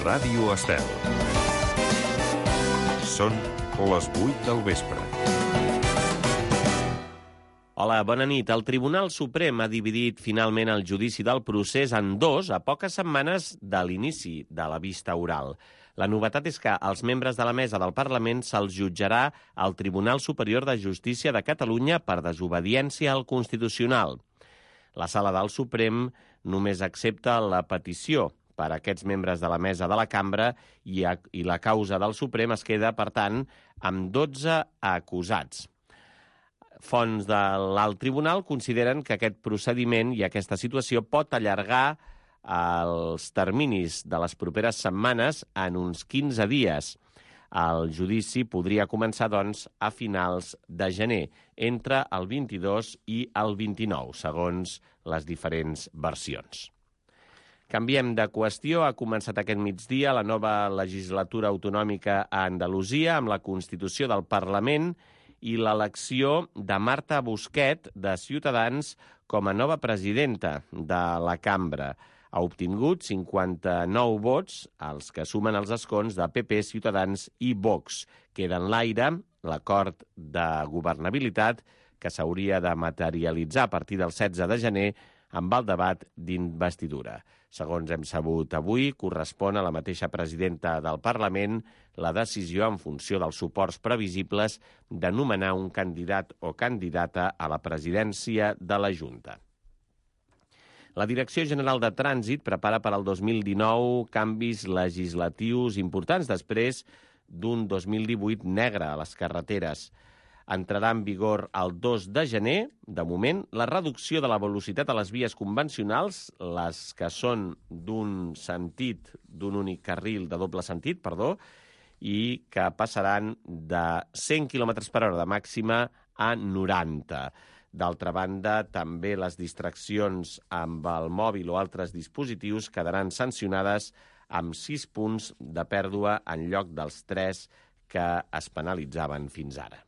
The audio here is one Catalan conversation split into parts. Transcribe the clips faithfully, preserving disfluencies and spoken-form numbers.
Ràdio Estel. Són les vuit del vespre. Hola, bona nit. El Tribunal Suprem ha dividit finalment el judici del procés en dos a poques setmanes de l'inici de la vista oral. La novetat és que als membres de la mesa del Parlament se'ls jutjarà al Tribunal Superior de Justícia de Catalunya per desobediència al Constitucional. La Sala del Suprem només accepta la petició per a aquests membres de la mesa de la cambra i, a, i la causa del Suprem es queda, per tant, amb dotze acusats. Fonts de l'alt tribunal consideren que aquest procediment i aquesta situació pot allargar els terminis de les properes setmanes en uns quinze dies. El judici podria començar, doncs, a finals de gener, entre el vint-i-dos i el vint-i-nou, segons les diferents versions. Canviem de qüestió. Ha començat aquest migdia la nova legislatura autonòmica a Andalusia amb la constitució del Parlament i l'elecció de Marta Busquet, de Ciutadans, com a nova presidenta de la cambra. Ha obtingut cinquanta-nou vots, els que sumen els escons de P P, Ciutadans i Vox. Queda en l'aire l'acord de governabilitat que s'hauria de materialitzar a partir del setze de gener amb el debat d'investidura. Segons hem sabut avui, correspon a la mateixa presidenta del Parlament la decisió en funció dels suports previsibles de nomenar un candidat o candidata a la presidència de la Junta. La Direcció General de Trànsit prepara per al dos mil dinou canvis legislatius importants després d'un dos mil divuit negre a les carreteres. Entrarà en vigor el dos de gener, de moment, la reducció de la velocitat a les vies convencionals, les que són d'un sentit, d'un únic carril de doble sentit, perdó, i que passaran de cent quilòmetres per hora de màxima a noranta. D'altra banda, també les distraccions amb el mòbil o altres dispositius quedaran sancionades amb sis punts de pèrdua en lloc dels tres que es penalitzaven fins ara.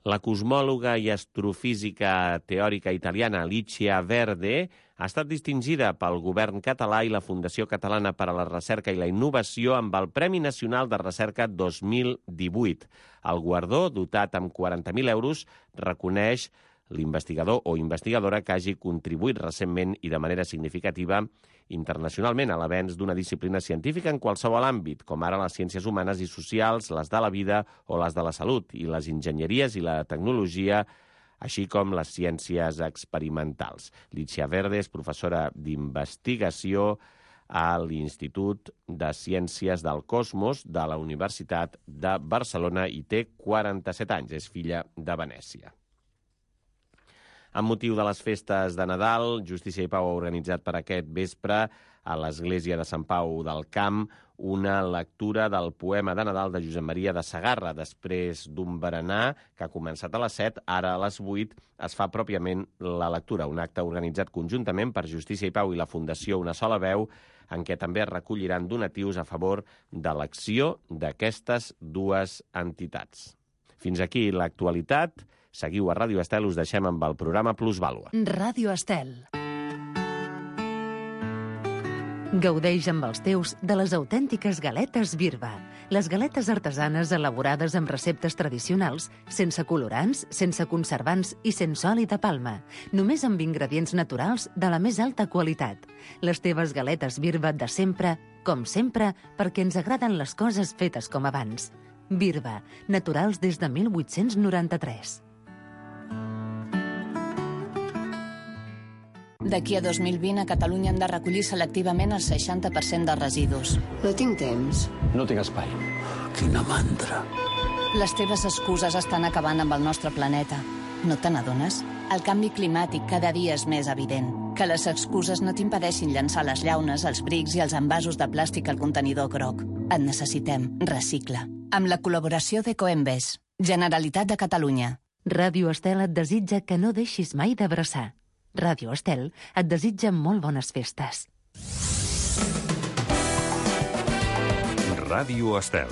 La cosmòloga i astrofísica teòrica italiana Alicia Verde ha estat distingida pel govern català i la Fundació Catalana per a la Recerca i la Innovació amb el Premi Nacional de Recerca dos mil divuit. El guardó, dotat amb quaranta mil euros, reconeix l'investigador o investigadora que hagi contribuït recentment i de manera significativa internacionalment a l'avenç d'una disciplina científica en qualsevol àmbit, com ara les ciències humanes i socials, les de la vida o les de la salut, i les enginyeries i la tecnologia, així com les ciències experimentals. Alicia Verde és professora d'investigació a l'Institut de Ciències del Cosmos de la Universitat de Barcelona i té quaranta-set anys, és filla de Venècia. Amb motiu de les festes de Nadal, Justícia i Pau ha organitzat per aquest vespre a l'Església de Sant Pau del Camp una lectura del poema de Nadal de Josep Maria de Sagarra. Després d'un berenar que ha començat a les set, ara a les vuit es fa pròpiament la lectura, un acte organitzat conjuntament per Justícia i Pau i la Fundació Una Sola Veu, en què també es recolliran donatius a favor de l'acció d'aquestes dues entitats. Fins aquí l'actualitat. Seguiu a Ràdio Estel, us deixem amb el programa Plusvàlua. Ràdio Estel. Gaudeix amb els teus de les autèntiques galetes Birba. Les galetes artesanes elaborades amb receptes tradicionals, sense colorants, sense conservants i sense oli de palma. Només amb ingredients naturals de la més alta qualitat. Les teves galetes Birba de sempre, com sempre, perquè ens agraden les coses fetes com abans. Birba, naturals des de mil vuit-cents noranta-tres. D'aquí a dos mil vint a Catalunya hem de recollir selectivament el seixanta per cent dels residus. No tinc temps. No tinc espai. Quina mandra. Les teves excuses estan acabant amb el nostre planeta. No te n'adones? El canvi climàtic cada dia és més evident. Que les excuses no t'impedeixin llançar les llaunes, els brics i els envasos de plàstic al contenidor groc. Et necessitem. Recicla. Amb la col·laboració d'Ecoembes. Generalitat de Catalunya. Ràdio Estel et desitja que no deixis mai d'abraçar. Ràdio Estel et desitja molt bones festes. Ràdio Estel.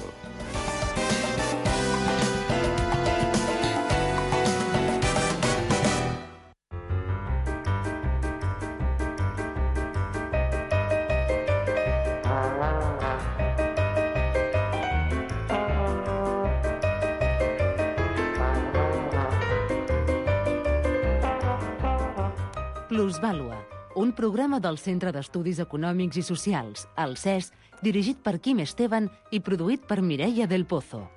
Plusvàlua, un programa del Centre d'Estudis Econòmics i Socials, el C E S, dirigit per Quim Esteban i produït per Mireia del Pozo.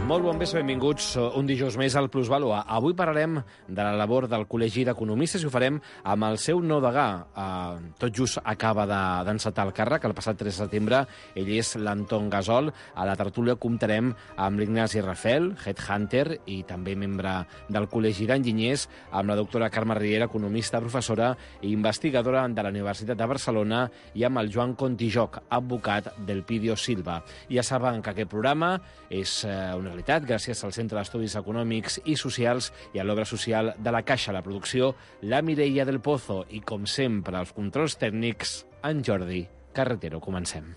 Molt bon vespre, benvinguts un dijous més al Plusvàlua. Avui parlarem de la labor del Col·legi d'Economistes i ho farem amb el seu nou degà. Eh, tot just acaba d'encetar el càrrec, el passat tres de setembre. Ell és l'Anton Gasol. A la tertúlia comptarem amb l'Ignasi Rafel, headhunter i també membre del Col·legi d'Enginyers, amb la doctora Carme Riera, economista, professora i investigadora de la Universitat de Barcelona, i amb el Joan Contijoc, advocat del Pidio Silva. Ja saben que aquest programa és eh, una gràcies al Centre d'Estudis Econòmics i Socials i a l'obra social de la Caixa. La producció, la Mireia del Pozo i, com sempre, els controls tècnics, en Jordi Carretero. Comencem.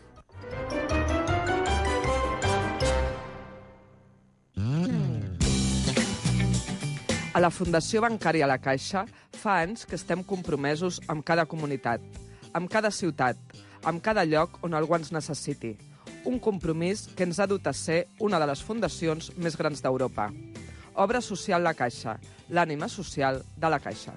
A la Fundació Bancària La Caixa fa anys que estem compromesos amb cada comunitat, amb cada ciutat, amb cada lloc on algú ens necessiti. Un compromís que ens ha dut a ser una de les fundacions més grans d'Europa. Obra Social La Caixa, l'ànima social de la Caixa.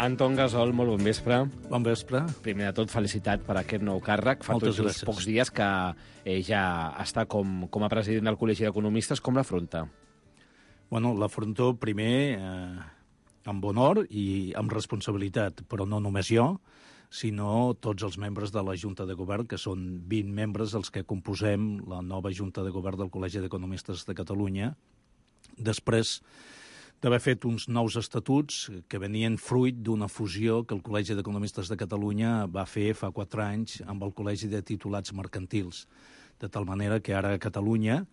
Anton Gasol, molt bon vespre. Bon vespre. Primer de tot, felicitat per aquest nou càrrec. Fa Moltes tots gràcies. pocs dies que eh, ja està com, com a president del Col·legi d'Economistes. Com l'afronta? Bueno, l'afronto primer eh, amb honor i amb responsabilitat, però no només jo, sinó tots els membres de la Junta de Govern, que són vint membres els que composem la nova Junta de Govern del Col·legi d'Economistes de Catalunya, després d'haver fet uns nous estatuts que venien fruit d'una fusió que el Col·legi d'Economistes de Catalunya va fer fa quatre anys amb el Col·legi de Titulats Mercantils, de tal manera que ara a Catalunya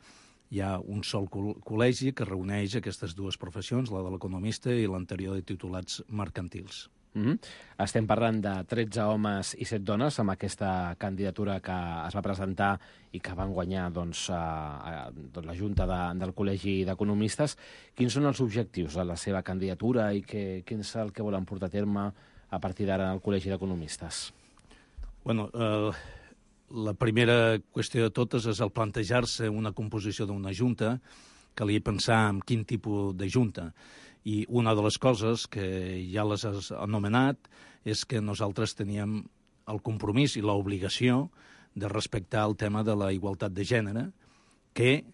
hi ha un sol col·legi que reuneix aquestes dues professions, la de l'economista i l'anterior de titulats mercantils. Mm-hmm. Estem parlant de tretze homes i set dones amb aquesta candidatura que es va presentar i que van guanyar doncs, a, a, a la Junta de, del Col·legi d'Economistes. Quins són els objectius de la seva candidatura i que, quin és el que volen portar a terme a partir d'ara al Col·legi d'Economistes? Bueno, eh, la primera qüestió de totes és el plantejar-se una composició d'una junta, calia pensar en quin tipus de junta. I una de les coses que ja les has anomenat és que nosaltres teníem el compromís i l'obligació de respectar el tema de la igualtat de gènere, que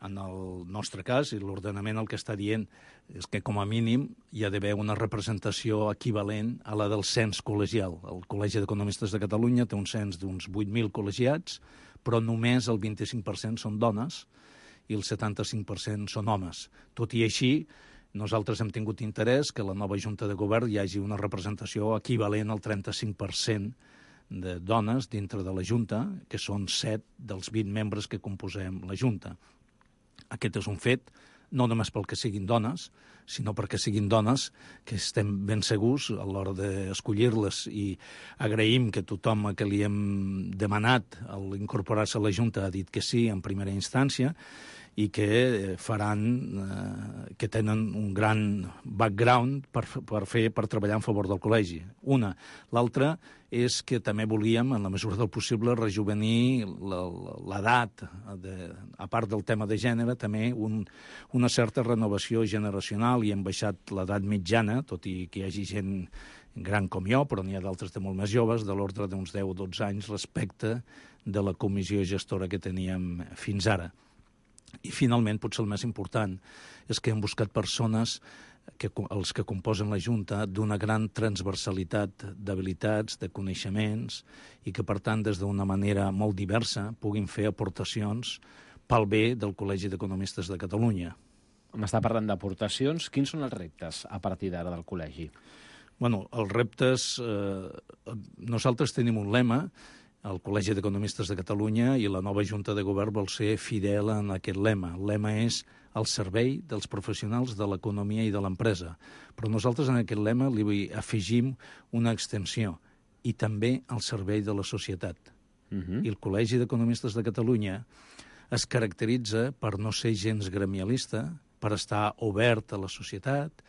en el nostre cas, i l'ordenament el que està dient és que com a mínim hi ha d'haver una representació equivalent a la del cens col·legial. El Col·legi d'Economistes de Catalunya té un cens d'uns vuit mil col·legiats, però només el vint-i-cinc per cent són dones i el setanta-cinc per cent són homes. Tot i així, nosaltres hem tingut interès que a la nova Junta de Govern hi hagi una representació equivalent al trenta-cinc per cent de dones dintre de la Junta, que són set dels vint membres que composem la Junta. Aquest és un fet, no només pel que siguin dones, sinó perquè siguin dones que estem ben segurs a l'hora d'escollir-les, i agraïm que tothom que li hem demanat l'incorporar-se a la Junta ha dit que sí en primera instància, i que faran, eh, que tenen un gran background per, per fer, per treballar en favor del col·legi. Una. L'altra és que també volíem, en la mesura del possible, rejuvenir l'edat, a part del tema de gènere, també un, una certa renovació generacional, i hem baixat l'edat mitjana, tot i que hi hagi gent gran com jo, però n'hi ha d'altres de molt més joves, de l'ordre d'uns deu o dotze anys respecte de la comissió gestora que teníem fins ara. I, finalment, potser el més important és que hem buscat persones, que, els que composen la Junta, d'una gran transversalitat d'habilitats, de coneixements, i que, per tant, des d'una manera molt diversa, puguin fer aportacions pel bé del Col·legi d'Economistes de Catalunya. M'està parlant d'aportacions. Quins són els reptes a partir d'ara del col·legi? Bueno, els reptes... Eh, nosaltres tenim un lema, el Col·legi d'Economistes de Catalunya, i la nova Junta de Govern vol ser fidel en aquest lema. El lema és al servei dels professionals de l'economia i de l'empresa. Però nosaltres en aquest lema li afegim una extensió, i també al servei de la societat. Uh-huh. I el Col·legi d'Economistes de Catalunya es caracteritza per no ser gens gremialista, per estar obert a la societat,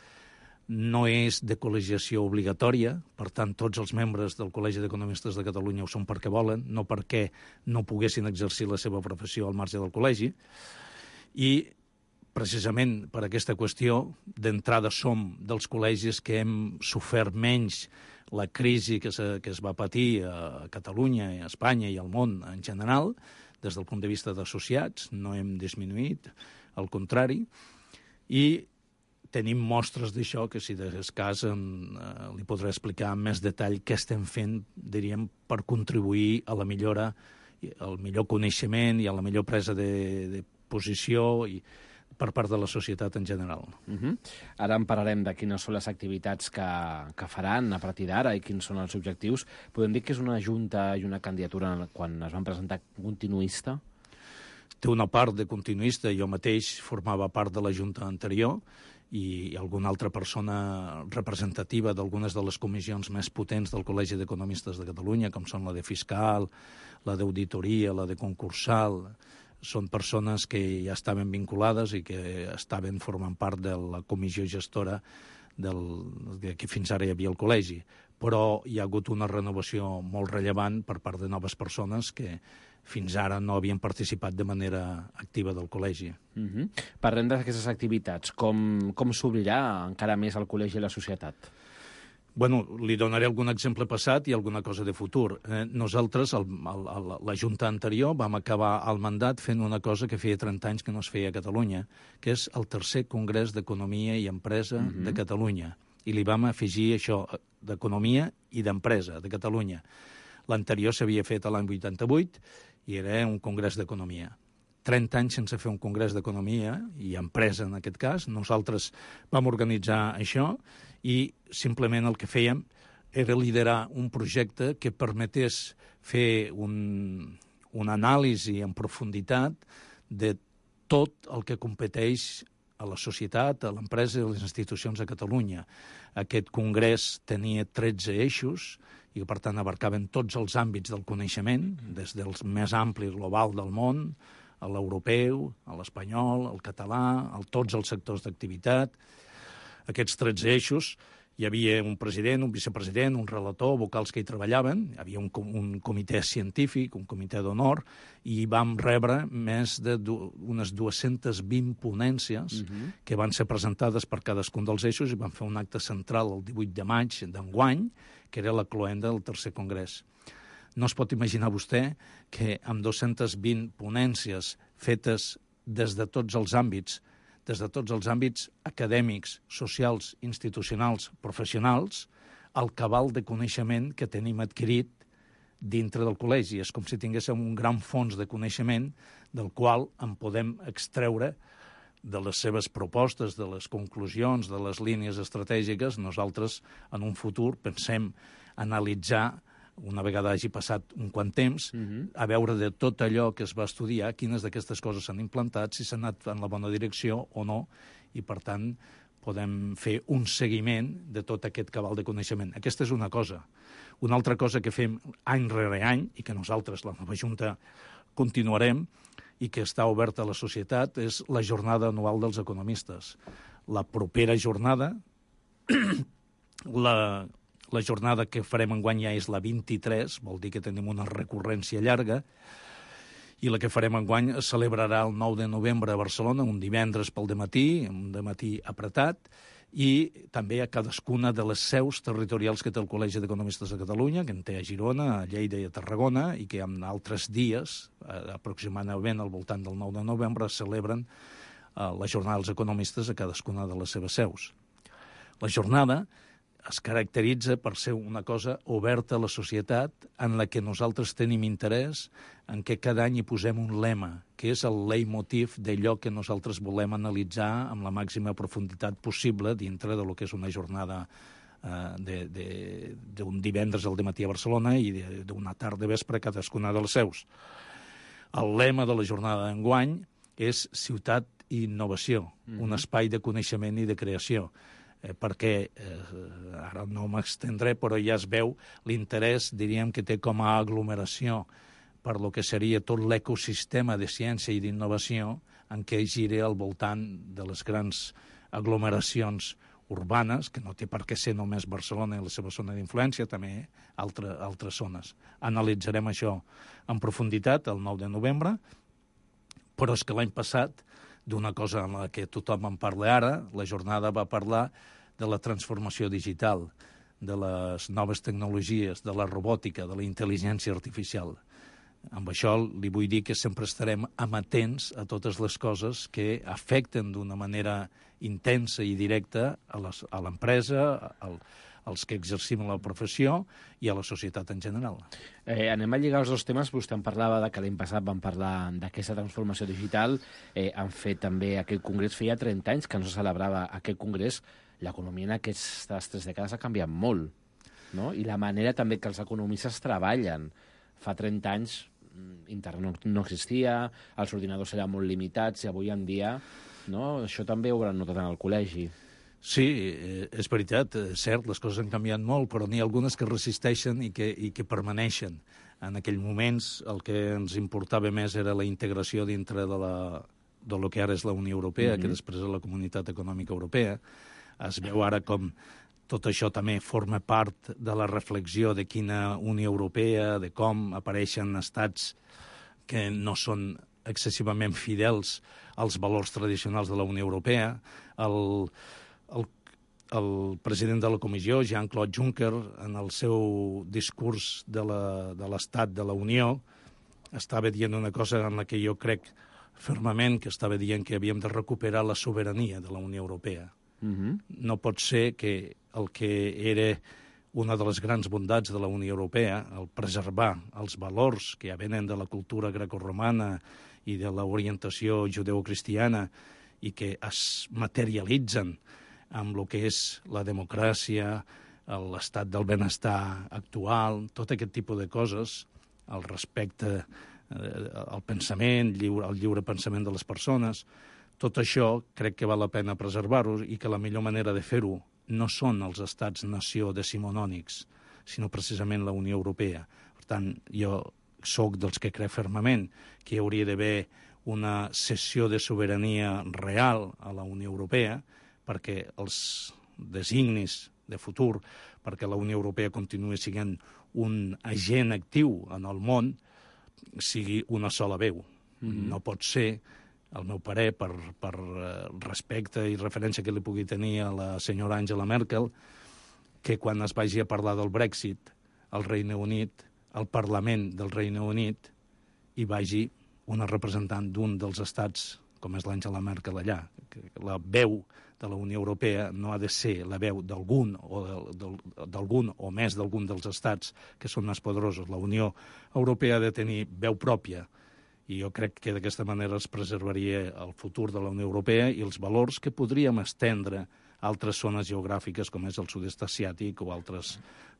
no és de col·legiació obligatòria, per tant, tots els membres del Col·legi d'Economistes de Catalunya ho són perquè volen, no perquè no poguessin exercir la seva professió al marge del col·legi. I, precisament per aquesta qüestió, d'entrada som dels col·legis que hem sofert menys la crisi que, se, que es va patir a Catalunya, a Espanya i al món en general, des del punt de vista d'associats, no hem disminuït, al contrari, i tenim mostres d'això que, si de cas, en, eh, li podré explicar amb més detall què estem fent, diríem, per contribuir a la millora, al millor coneixement i a la millor presa de, de posició i per part de la societat en general. Uh-huh. Ara en parlarem de quines són les activitats que, que faran a partir d'ara i quins són els objectius. Podem dir que és una junta i una candidatura quan es van presentar continuista? Té una part de continuista. Jo mateix formava part de la junta anterior i alguna altra persona representativa d'algunes de les comissions més potents del Col·legi d'Economistes de Catalunya, com són la de fiscal, la d'auditoria, la de concursal. Són persones que ja estaven vinculades i que estaven formant part de la comissió gestora del, que fins ara hi havia el col·legi. Però hi ha hagut una renovació molt rellevant per part de noves persones que fins ara no havien participat de manera activa del col·legi. Uh-huh. Parlem d'aquestes activitats. Com, com s'obrirà encara més el col·legi i la societat? Bueno, li donaré algun exemple passat i alguna cosa de futur. Eh, nosaltres, el, el, el, la Junta anterior, vam acabar el mandat fent una cosa que feia trenta anys que no es feia a Catalunya, que és el tercer Congrés d'Economia i Empresa uh-huh. de Catalunya. I li vam afegir això, d'Economia i d'Empresa de Catalunya. L'anterior s'havia fet a l'any vuitanta-vuit i era un congrés d'economia. trenta anys sense fer un congrés d'economia i empresa, en aquest cas. Nosaltres vam organitzar això i simplement el que fèiem era liderar un projecte que permetés fer un, una anàlisi en profunditat de tot el que competeix a la societat, a l'empresa i a les institucions de Catalunya. Aquest congrés tenia tretze eixos i que, per tant, abarcaven tots els àmbits del coneixement, des dels més ampli global del món, a l'europeu, a l'espanyol, al català, a tots els sectors d'activitat. Aquests tretze eixos, hi havia un president, un vicepresident, un relator, vocals que hi treballaven, hi havia un, un comitè científic, un comitè d'honor, i vam rebre més d'unes dues-centes vint ponències uh-huh. que van ser presentades per cadascun dels eixos i van fer un acte central el divuit de maig d'enguany, que era la cloenda del tercer congrés. No es pot imaginar vostè que amb dues-centes vint ponències fetes des de tots els àmbits, des de tots els àmbits acadèmics, socials, institucionals, professionals, el cabal de coneixement que tenim adquirit dintre del col·legi. És com si tinguéssim un gran fons de coneixement del qual en podem extreure de les seves propostes, de les conclusions, de les línies estratègiques. Nosaltres, en un futur, pensem analitzar, una vegada hagi passat un quant temps, uh-huh. a veure de tot allò que es va estudiar, quines d'aquestes coses s'han implantat, si s'han anat en la bona direcció o no, i per tant podem fer un seguiment de tot aquest cabal de coneixement. Aquesta és una cosa. Una altra cosa que fem any rere any, i que nosaltres, la nova Junta, continuarem, i que està oberta a la societat, és la jornada anual dels economistes. La propera jornada, la... La jornada que farem enguany ja és la vint-i-tres, vol dir que tenim una recurrència llarga, i la que farem enguany es celebrarà el nou de novembre a Barcelona, un divendres pel dematí, un dematí apretat, i també a cadascuna de les seus territorials que té el Col·legi d'Economistes de Catalunya, que en té a Girona, a Lleida i a Tarragona, i que en altres dies, aproximadament al voltant del nou de novembre, es celebren la jornada dels economistes a cadascuna de les seves seus. La jornada es caracteritza per ser una cosa oberta a la societat en la que nosaltres tenim interès, en què cada any hi posem un lema, que és el leitmotiv d'allò que nosaltres volem analitzar amb la màxima profunditat possible dintre de lo que és una jornada eh, d'un divendres al dematí a Barcelona i d'una tarda vespre a cadascuna dels seus. El lema de la jornada d'enguany és Ciutat i Innovació, mm-hmm. un espai de coneixement i de creació. Eh, perquè, eh, ara no m'extendré, però ja es veu l'interès, diríem, que té com a aglomeració per lo que seria tot l'ecosistema de ciència i d'innovació en què gira al voltant de les grans aglomeracions urbanes, que no té per què ser només Barcelona i la seva zona d'influència, també altre, altres zones. Analitzarem això en profunditat el nou de novembre, però és que l'any passat, d'una cosa en la que tothom en parla ara, la jornada va parlar de la transformació digital, de les noves tecnologies, de la robòtica, de la intel·ligència artificial. Amb això li vull dir que sempre estarem amatents a totes les coses que afecten d'una manera intensa i directa a l'empresa, als que exercim la professió i a la societat en general. Eh, anem a lligar els dos temes. Vostè em parlava de que l'any passat vam parlar d'aquesta transformació digital. Eh, han fet també aquell congrés, feia trenta anys que no se celebrava aquest congrés. L'economia en aquestes tres dècades ha canviat molt, no? I la manera també que els economistes treballen. Fa trenta anys internet no existia, els ordinadors eren molt limitats i avui en dia, no? Això també ho hauran notat en el col·legi. Sí, és veritat, és cert, les coses han canviat molt, però n'hi ha algunes que resisteixen i que, i que permaneixen. En aquells moments el que ens importava més era la integració dintre de, la, de lo que ara és la Unió Europea, mm-hmm. que després és la Comunitat Econòmica Europea. Es veu ara com tot això també forma part de la reflexió de quina Unió Europea, de com apareixen estats que no són excessivament fidels als valors tradicionals de la Unió Europea. El, el, el president de la Comissió, Jean-Claude Juncker, en el seu discurs de l'Estat de la Unió, estava dient una cosa en la que jo crec fermament que estava dient que havíem de recuperar la sobirania de la Unió Europea. Mm-hmm. No pot ser que el que era una de les grans bondats de la Unió Europea, el preservar els valors que ja venen de la cultura grecorromana i de l'orientació judeocristiana i que es materialitzen amb el que és la democràcia, l'estat del benestar actual, tot aquest tipus de coses, el respecte al pensament, el lliure pensament de les persones. Tot això crec que val la pena preservar-ho i que la millor manera de fer-ho no són els estats-nació decimonònics, sinó precisament la Unió Europea. Per tant, jo sóc dels que crec fermament que hi hauria d'haver una cessió de sobirania real a la Unió Europea perquè els designis de futur, perquè la Unió Europea continuï sent un agent actiu en el món, sigui una sola veu. Mm-hmm. No pot ser, al meu parer, per, per respecte i referència que li pugui tenir a la senyora Angela Merkel, que quan es vagi a parlar del Brexit, al Regne Unit, al Parlament del Regne Unit, hi vagi una representant d'un dels estats, com és l'Angela Merkel allà. La veu de la Unió Europea no ha de ser la veu d'algun o d'algun o més d'algun dels estats que són més poderosos. La Unió Europea ha de tenir veu pròpia, i jo crec que d'aquesta manera es preservaria el futur de la Unió Europea i els valors que podríem estendre a altres zones geogràfiques com és el sud-est asiàtic o altres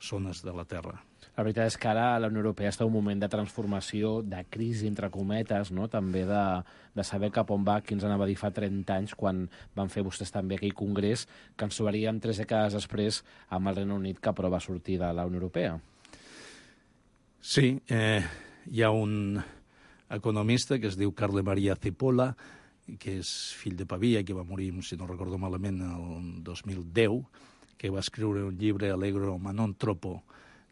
zones de la Terra. La veritat és que ara la Unió Europea està en un moment de transformació, de crisi, entre cometes, no? També de, de saber cap on va, qui ens anava a dir fa trenta anys, quan van fer vostès també aquell congrés, que ens trobaríem tres dècades després amb el Regne Unit que aprova sortir de la Unió Europea. Sí, eh, hi ha un economista que es diu Carle Maria Cipolla, que és fill de Pavia, que va morir, si no recordo malament, el dos mil deu, que va escriure un llibre, Allegro ma non troppo,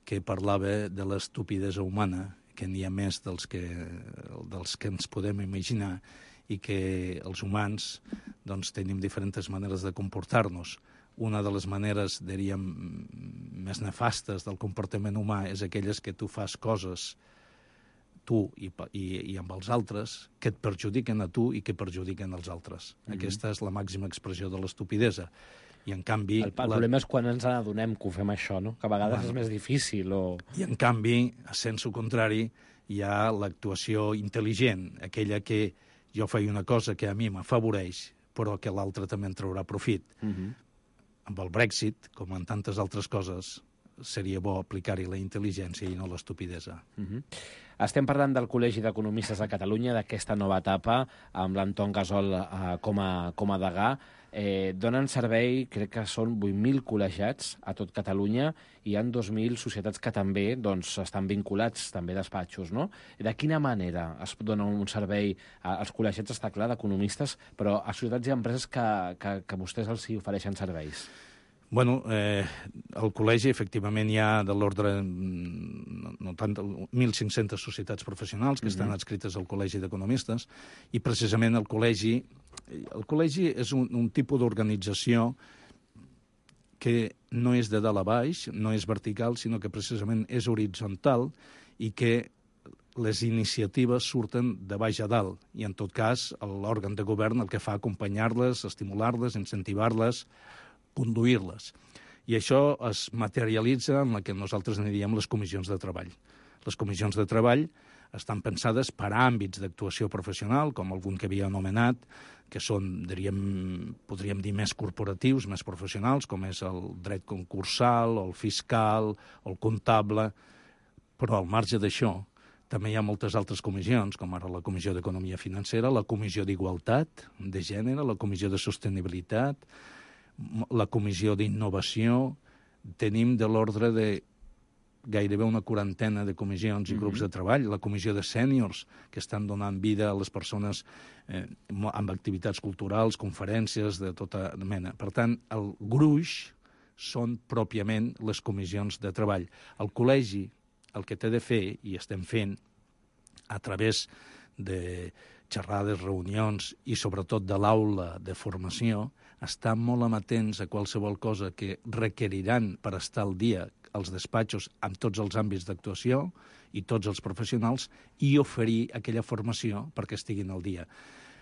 que parlava de l'estupidesa humana, que n'hi ha més dels que, dels que ens podem imaginar, i que els humans doncs, tenim diferents maneres de comportar-nos. Una de les maneres, diríem, més nefastes del comportament humà és aquelles que tu fas coses tu i, i, i amb els altres, que et perjudiquen a tu i que perjudiquen als altres. Mm-hmm. Aquesta és la màxima expressió de l'estupidesa. I en canvi... El, el la... problema és quan ens adonem que ho fem això, no? Que a vegades bueno, és més difícil. O... I en canvi, a sensu contrari, hi ha l'actuació intel·ligent, aquella que jo faig una cosa que a mi m'afavoreix, però que l'altre també en traurà profit. Mm-hmm. Amb el Brexit, com en tantes altres coses, seria bo aplicar-hi la intel·ligència i no l'estupidesa. Mm-hmm. Estem parlant del Col·legi d'Economistes de Catalunya, d'aquesta nova etapa, amb l'Anton Gasol eh, com, a, com a degà. Eh, donen servei, crec que són vuit mil col·legiats a tot Catalunya, i hi ha dos mil societats que també doncs, estan vinculats, també despatxos, no? De quina manera es dona un servei als col·legiats, està clar, d'economistes, però a societats i empreses que, que, que vostès els hi ofereixen serveis? Bueno, eh, al col·legi, efectivament, hi ha de l'ordre no, no tant, mil cinc-centes societats professionals que estan adscrites al Col·legi d'Economistes, i precisament el col·legi, el col·legi és un, un tipus d'organització que no és de dalt a baix, no és vertical, sinó que precisament és horitzontal i que les iniciatives surten de baix a dalt. I, en tot cas, l'òrgan de govern el que fa acompanyar-les, estimular-les, incentivar-les, conduir-les. I això es materialitza en la que nosaltres en diem les comissions de treball. Les comissions de treball estan pensades per àmbits d'actuació professional, com algun que havia anomenat, que són, diríem, podríem dir, més corporatius, més professionals, com és el dret concursal, o el fiscal, o el comptable, però al marge d'això també hi ha moltes altres comissions, com ara la Comissió d'Economia Financera, la Comissió d'Igualtat de Gènere, la Comissió de Sostenibilitat, la Comissió d'Innovació. Tenim de l'ordre de gairebé una quarantena de comissions i grups de treball, la Comissió de Sèniors, que estan donant vida a les persones eh, amb activitats culturals, conferències de tota mena. Per tant, el gruix són pròpiament les comissions de treball. El col·legi el que té de fer, i estem fent, a través de xerrades, reunions i sobretot de l'aula de formació, estar molt amatents a qualsevol cosa que requeriran per estar al dia als despatxos amb tots els àmbits d'actuació i tots els professionals i oferir aquella formació perquè estiguin al dia.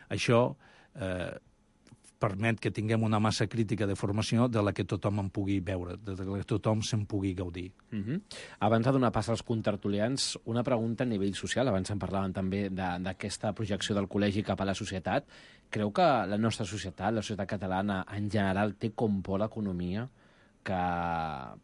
Això eh, permet que tinguem una massa crítica de formació de la que tothom en pugui veure, de la que tothom se'n pugui gaudir. Uh-huh. Abans de donar pas als contertulians, una pregunta a nivell social. Abans en parlaven també d'aquesta projecció del col·legi cap a la societat. Creu que la nostra societat, la societat catalana, en general, té com por l'economia? Que,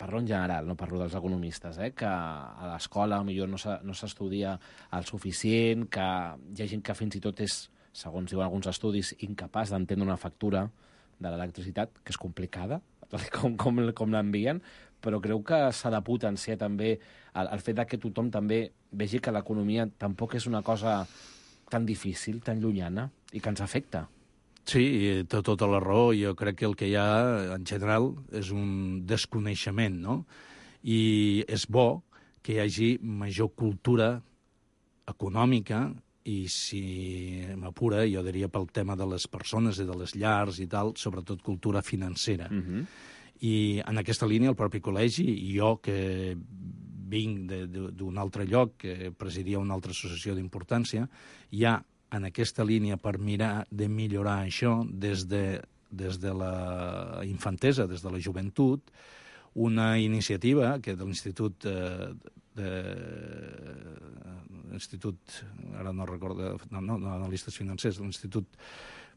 parlo en general, no parlo dels economistes, eh? Que a l'escola millor no s'estudia el suficient, que hi ha gent que fins i tot és, segons diuen alguns estudis, incapaç d'entendre una factura de l'electricitat, que és complicada, com, com, com l'envien, però creu que s'ha de potenciar també el, el fet que tothom també vegi que l'economia tampoc és una cosa tan difícil, tan llunyana, i que ens afecta. Sí, té tota la raó. Jo crec que el que hi ha, en general, és un desconeixement, no? I és bo que hi hagi major cultura econòmica i, si m'apura, jo diria pel tema de les persones i de les llars i tal, sobretot cultura financera. Uh-huh. I en aquesta línia el propi col·legi, i jo que vinc d'un altre lloc, que presidia una altra associació d'importància, hi ha en aquesta línia per mirar de millorar això des de, des de la infantesa, des de la joventut, una iniciativa que de l'Institut eh, de l'Institut, ara no recordo, no, no, no analistes financers, l'Institut,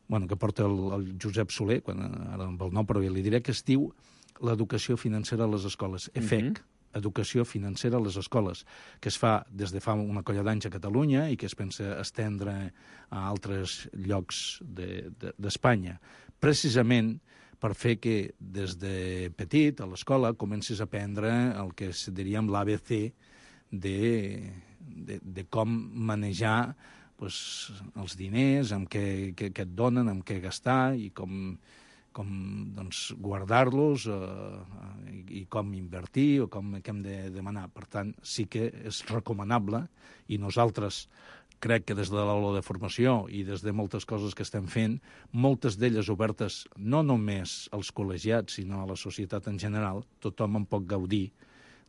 bueno, que porta el, el Josep Soler, quan, ara amb el nom, però ja li diré, que es diu l'educació financera a les escoles, E F E C, mm-hmm. Educació financera a les escoles, que es fa des de fa una colla d'anys a Catalunya i que es pensa estendre a altres llocs d'Espanya, de, de, precisament per fer que des de petit, a l'escola, comencis a aprendre el que diríem l'A B C de, de, de com manejar pues, els diners, amb què, què, què et donen, amb què gastar i com, com doncs, guardar-los eh, i com invertir o com què hem de demanar. Per tant, sí que és recomanable i nosaltres crec que des de l'aula de formació i des de moltes coses que estem fent, moltes d'elles obertes no només als col·legiats, sinó a la societat en general, tothom en pot gaudir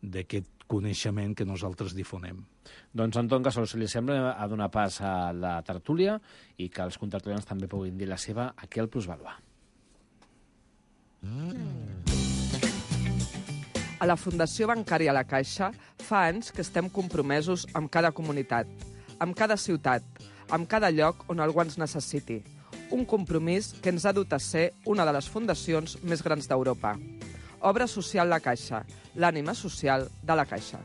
d'aquest coneixement que nosaltres difonem. Doncs, Anton Casol, si li sembla, a donar pas a la tertúlia i que els contertulians també puguin dir la seva aquí al Plusvalua. A la Fundació Bancària La Caixa fa anys que estem compromesos amb cada comunitat, amb cada ciutat, amb cada lloc on algú ens necessiti. Un compromís que ens ha dut a ser una de les fundacions més grans d'Europa. Obra Social La Caixa, l'ànima social de La Caixa.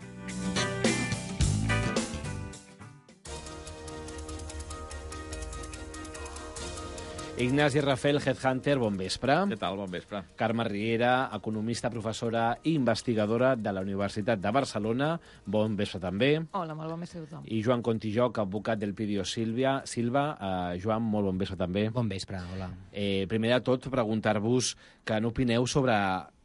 Ignasi Rafel, Headhunter, bon vespre. Què tal? Bon vespre. Carme Riera, economista, professora i investigadora de la Universitat de Barcelona. Bon vespre també. Hola, molt bon vespre a tothom. I Joan Contijoc, advocat del Pidio Silva. Silva, uh, Joan, molt bon vespre també. Bon vespre, hola. Eh, primer de tot, preguntar-vos que n'opineu sobre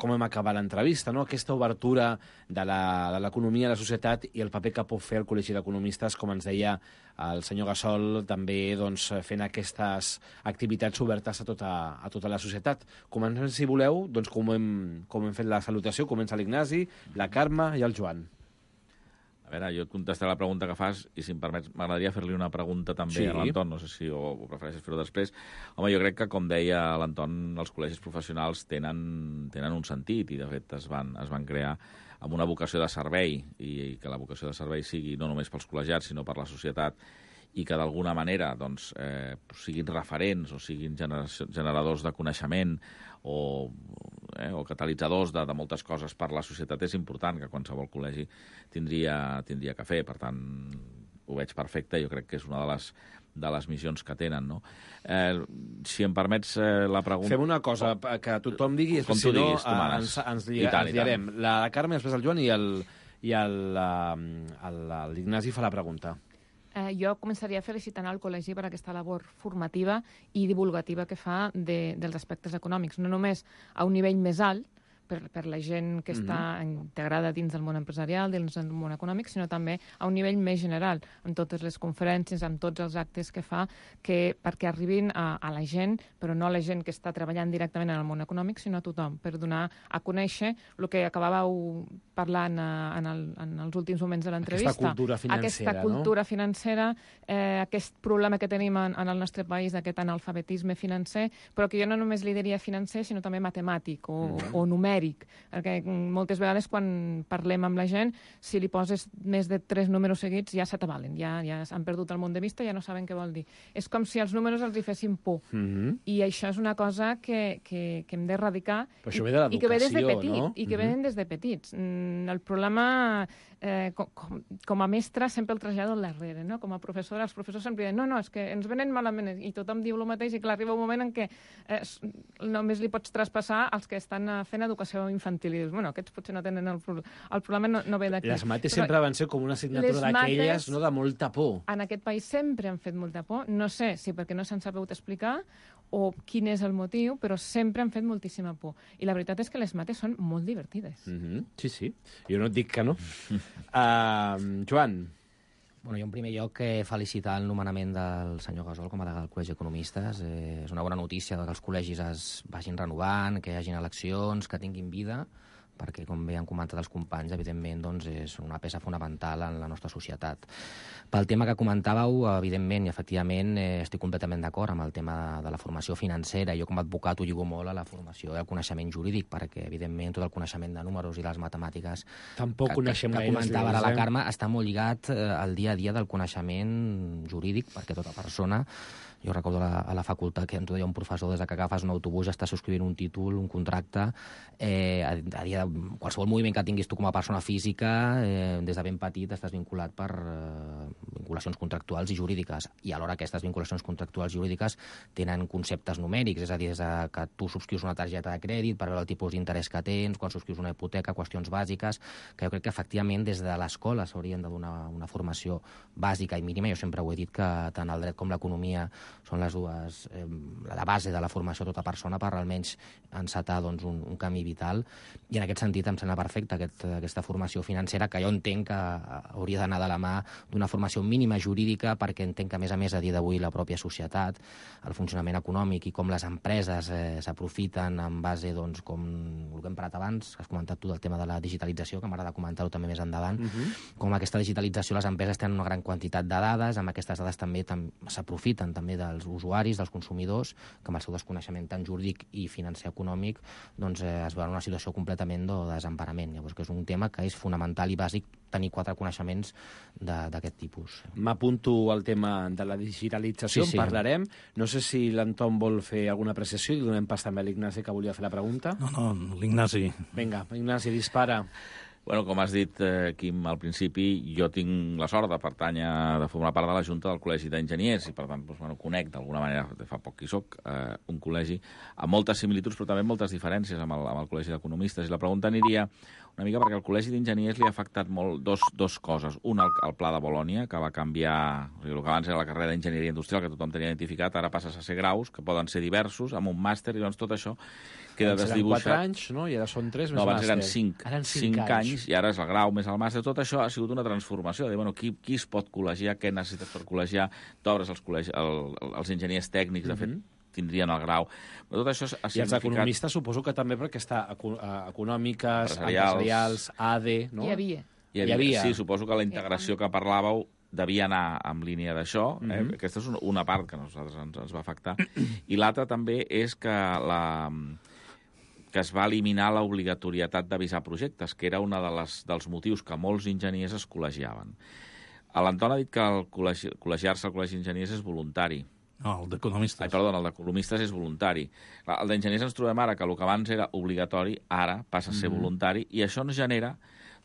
com hem acabat l'entrevista, no? Aquesta obertura de l'economia a la societat i el paper que pot fer el Col·legi d'Economistes, com ens deia el senyor Gassol, també doncs, fent aquestes activitats obertes a tota, a tota la societat. Comencem, si voleu, doncs, com, hem, com hem fet la salutació. Comença l'Ignasi, la Carme i el Joan. A veure, jo et contestaré la pregunta que fas i, si em permets, m'agradaria fer-li una pregunta també sí. a l'Anton, no sé si ho, ho prefereixes fer-ho després. Home, jo crec que, com deia l'Anton, els col·legis professionals tenen, tenen un sentit i, de fet, es van, es van crear amb una vocació de servei i, i que la vocació de servei sigui no només pels col·legiats, sinó per la societat i que, d'alguna manera, doncs, eh, siguin referents o siguin generadors de coneixement o, eh, o catalitzadors de, de moltes coses per la societat. És important que qualsevol col·legi tindria, tindria que fer. Per tant, ho veig perfecte. Jo crec que és una de les, de les missions que tenen, no? Eh, si em permets eh, la pregunta... Fem una cosa, que tothom digui, com si tu no, diguis, tu manes. ens, ens, lliga, tant, ens lligarem. La Carme, després el Joan i l'Ignasi fa la pregunta. Eh, jo començaria felicitant el col·legi per aquesta labor formativa i divulgativa que fa de, dels aspectes econòmics, no només a un nivell més alt, per, per la gent que està mm-hmm. integrada dins del món empresarial, dins del món econòmic, sinó també a un nivell més general, amb totes les conferències, amb tots els actes que fa, que, perquè arribin a, a la gent, però no a la gent que està treballant directament en el món econòmic, sinó a tothom, per donar a conèixer el que acabàveu parlant en, el, en els últims moments de l'entrevista. Aquesta cultura financera, Aquesta cultura no? financera, eh, aquest problema que tenim en, en el nostre país, d'aquest analfabetisme financer, però que jo no només li diria financer, sinó també matemàtic o, mm-hmm. o numèric, perquè moltes vegades quan parlem amb la gent, si li poses més de tres números seguits ja se t'avalen, ja, ja han perdut el món de vista, ja no saben què vol dir. És com si els números els hi fessin por. Mm-hmm. I això és una cosa que, que, que hem d'erradicar i, i que ve des de petit, no? I que mm-hmm. venen des de petits. Mm, el problema, eh, com, com, com a mestra, sempre el trasllado al darrere, no? Com a professora, els professors sempre diuen no, no, és que ens venen malament, i tothom diu el mateix, i clar, arriba un moment en què eh, només li pots traspassar als que estan fent educació infantil, i dius, bueno, aquests potser no tenen el problema. El problema no, no ve d'aquí. Les mates sempre van ser com una assignatura d'aquelles, no, de molta por. En aquest país sempre han fet molta por. No sé si perquè no s'han sabut explicar o quin és el motiu, però sempre han fet moltíssima por. I la veritat és que les mates són molt divertides. Mm-hmm. Sí, sí. Jo no et dic que no. uh, Joan. Bueno, jo en primer lloc eh, felicitar el nomenament del senyor Gasol com a degà del Col·legi d'Economistes. Eh, és una bona notícia que els col·legis es vagin renovant, que hi hagin eleccions, que tinguin vida, perquè, com bé han comentat els companys, evidentment doncs, és una peça fonamental en la nostra societat. Pel tema que comentàveu, evidentment i efectivament eh, estic completament d'acord amb el tema de, de la formació financera. Jo com a advocat ho lligo molt a la formació i al coneixement jurídic, perquè evidentment tot el coneixement de números i les matemàtiques Tampoc que, coneixem que, que gaire, comentava ara eh? la Carme està molt lligat eh, al dia a dia del coneixement jurídic, perquè tota persona... Jo recordo a la, a la facultat que ens deia un professor, des que agafes un autobús estàs subscrivint un títol, un contracte, eh, a, a dia de qualsevol moviment que tinguis tu com a persona física, eh, des de ben petit estàs vinculat per eh, vinculacions contractuals i jurídiques, i alhora aquestes vinculacions contractuals i jurídiques tenen conceptes numèrics, és a dir, des de que tu subscrius una targeta de crèdit per veure el tipus d'interès que tens, quan subscrius una hipoteca, qüestions bàsiques, que jo crec que efectivament des de l'escola s'haurien de donar una formació bàsica i mínima. Jo sempre ho he dit que tant el dret com l'economia són les dues, eh, la base de la formació de tota persona per almenys encetar doncs, un, un camí vital, i en aquest sentit em sembla perfecta aquest, aquesta formació financera, que jo entenc que hauria d'anar de la mà d'una formació mínima jurídica, perquè entenc que a més a més a dia d'avui la pròpia societat, el funcionament econòmic i com les empreses eh, s'aprofiten en base, doncs, com el que hem parlat abans, que has comentat tu del tema de la digitalització, que m'agrada comentar-ho també més endavant, uh-huh. com aquesta digitalització les empreses tenen una gran quantitat de dades, amb aquestes dades també tam s'aprofiten també dels usuaris, dels consumidors, que amb el seu desconeixement tan jurídic i financer econòmic doncs, eh, es veuen en una situació completament de desemparament. Llavors, que és un tema que és fonamental i bàsic tenir quatre coneixements d'aquest tipus. M'apunto al tema de la digitalització, sí, sí. En parlarem. No sé si l'Anton vol fer alguna apreciació i donem pas també a l'Ignasi, que volia fer la pregunta. No, no, l'Ignasi. Vinga, Ignasi, dispara. Bueno, com has dit, eh, Quim, al principi, jo tinc la sort de pertànyer, de formar part de la Junta del Col·legi d'Enginyers i, per tant, doncs, bueno, conec d'alguna manera, de fa poc que hi soc, eh, un col·legi amb moltes similituds però també moltes diferències amb el, amb el Col·legi d'Economistes. I la pregunta aniria una mica perquè el Col·legi d'Enginyers li ha afectat molt dos, dos coses. Una, el, el Pla de Bolònia, que va canviar... O sigui, el que abans era la carrera d'Enginyeria Industrial, que tothom tenia identificat, ara passes a ser graus, que poden ser diversos, amb un màster, i doncs tot això queda abans desdibuixat. Eren quatre anys, no? I ara són tres més no, abans màster. eren cinc, Eren cinc, cinc anys. anys, i ara és el grau més el màster. Tot això ha sigut una transformació, de dir, bueno, qui, qui es pot col·legiar, què necessites per col·legiar, t'obres els, col·legi, el, els enginyers tècnics, de fet, mm-hmm. tindrien el grau. Però tot això ha significat... I els economistes suposo que també perquè està eco econòmiques, empresarials, empresarials A D, no? Hi havia. Hi havia. Hi havia. Sí, suposo que la integració que parlàveu devia anar en línia d'això. Eh? Mm-hmm. Aquesta és una part que a nosaltres ens, ens va afectar. I l'altra també és que la... que es va eliminar l'obligatorietat d'avisar projectes, que era un de les, dels motius que molts enginyers es col·legiaven. L'Anton ha dit que el col·legi, col·legiar-se al Col·legi d'Enginyers és voluntari. No, el d'economistes. Ai, perdona, el d'economistes és voluntari. El d'enginyers ens trobem ara que el que abans era obligatori, ara passa a ser mm-hmm. voluntari, i això ens genera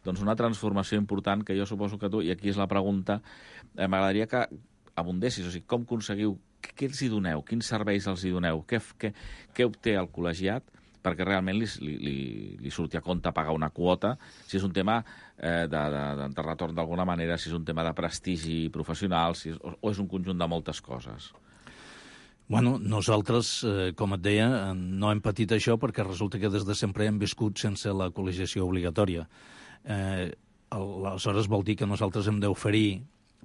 doncs, una transformació important que jo suposo que tu, i aquí és la pregunta, eh, m'agradaria que abundessis, o sigui, com aconseguiu, què els hi doneu, quins serveis els hi doneu, què, què, què obté el col·legiat, perquè realment li, li, li surti a compte pagar una quota, si és un tema eh, de, de, de retorn d'alguna manera, si és un tema de prestigi professional, si és, o, o és un conjunt de moltes coses. Bueno, nosaltres, eh, com et deia, no hem patit això perquè resulta que des de sempre hem viscut sense la col·legiació obligatòria. Eh, aleshores vol dir que nosaltres hem d'oferir,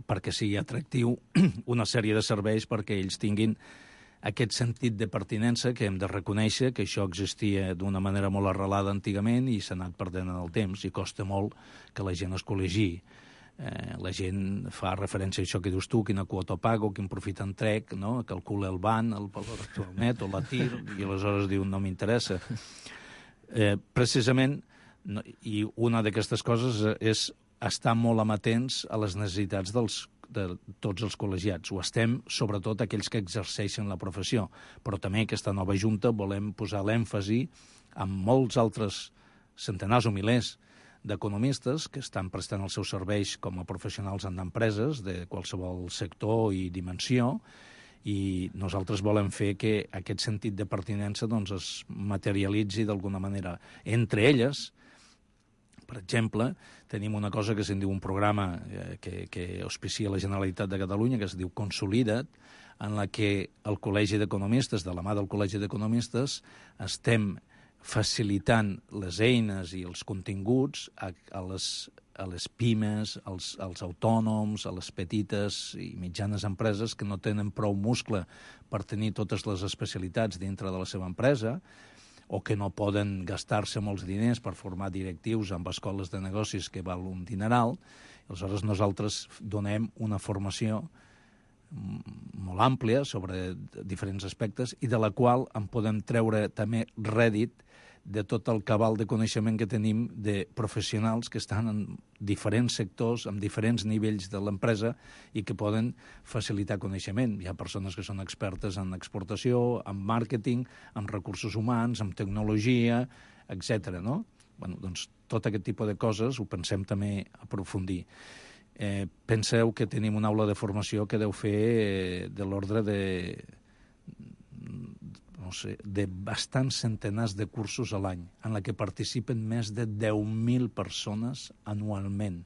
perquè sigui atractiu, una sèrie de serveis perquè ells tinguin aquest sentit de pertinença que hem de reconèixer que això existia d'una manera molt arrelada antigament i s'ha anat perdent en el temps i costa molt que la gent es col·legi. Eh, la gent fa referència a això que dius tu, quina quota pago, quin profit en trec, no? Calcula el B A N, el valor actual net o la T I R, i aleshores diu no m'interessa. Eh, precisament, no, i una d'aquestes coses és estar molt amatents a les necessitats dels, de tots els col·legiats. Ho estem, sobretot, aquells que exerceixen la professió, però també aquesta nova junta volem posar l'èmfasi en molts altres centenars o milers d'economistes que estan prestant els seus serveis com a professionals en empreses de qualsevol sector i dimensió, i nosaltres volem fer que aquest sentit de pertinença doncs, es materialitzi d'alguna manera. Entre elles, per exemple, tenim una cosa que se'n diu un programa eh, que, que auspicia la Generalitat de Catalunya, que es diu Consolida't, en la que el Col·legi d'Economistes, de la mà del Col·legi d'Economistes, estem facilitant les eines i els continguts a, a, les, a les pimes, als, als autònoms, a les petites i mitjanes empreses que no tenen prou muscle per tenir totes les especialitats dintre de la seva empresa o que no poden gastar-se molts diners per formar directius amb escoles de negocis que val un dineral. Aleshores, nosaltres donem una formació molt àmplia sobre diferents aspectes i de la qual en podem treure també rèdit de tot el cabal de coneixement que tenim de professionals que estan en diferents sectors, amb diferents nivells de l'empresa i que poden facilitar coneixement. Hi ha persones que són expertes en exportació, en màrqueting, en recursos humans, en tecnologia, etcètera. No? Bueno, doncs, tot aquest tipus de coses ho pensem també aprofundir. Eh, penseu que tenim una aula de formació que deu fer eh, de l'ordre de, no sé, de bastants centenars de cursos a l'any, en la que participen més de deu mil persones anualment,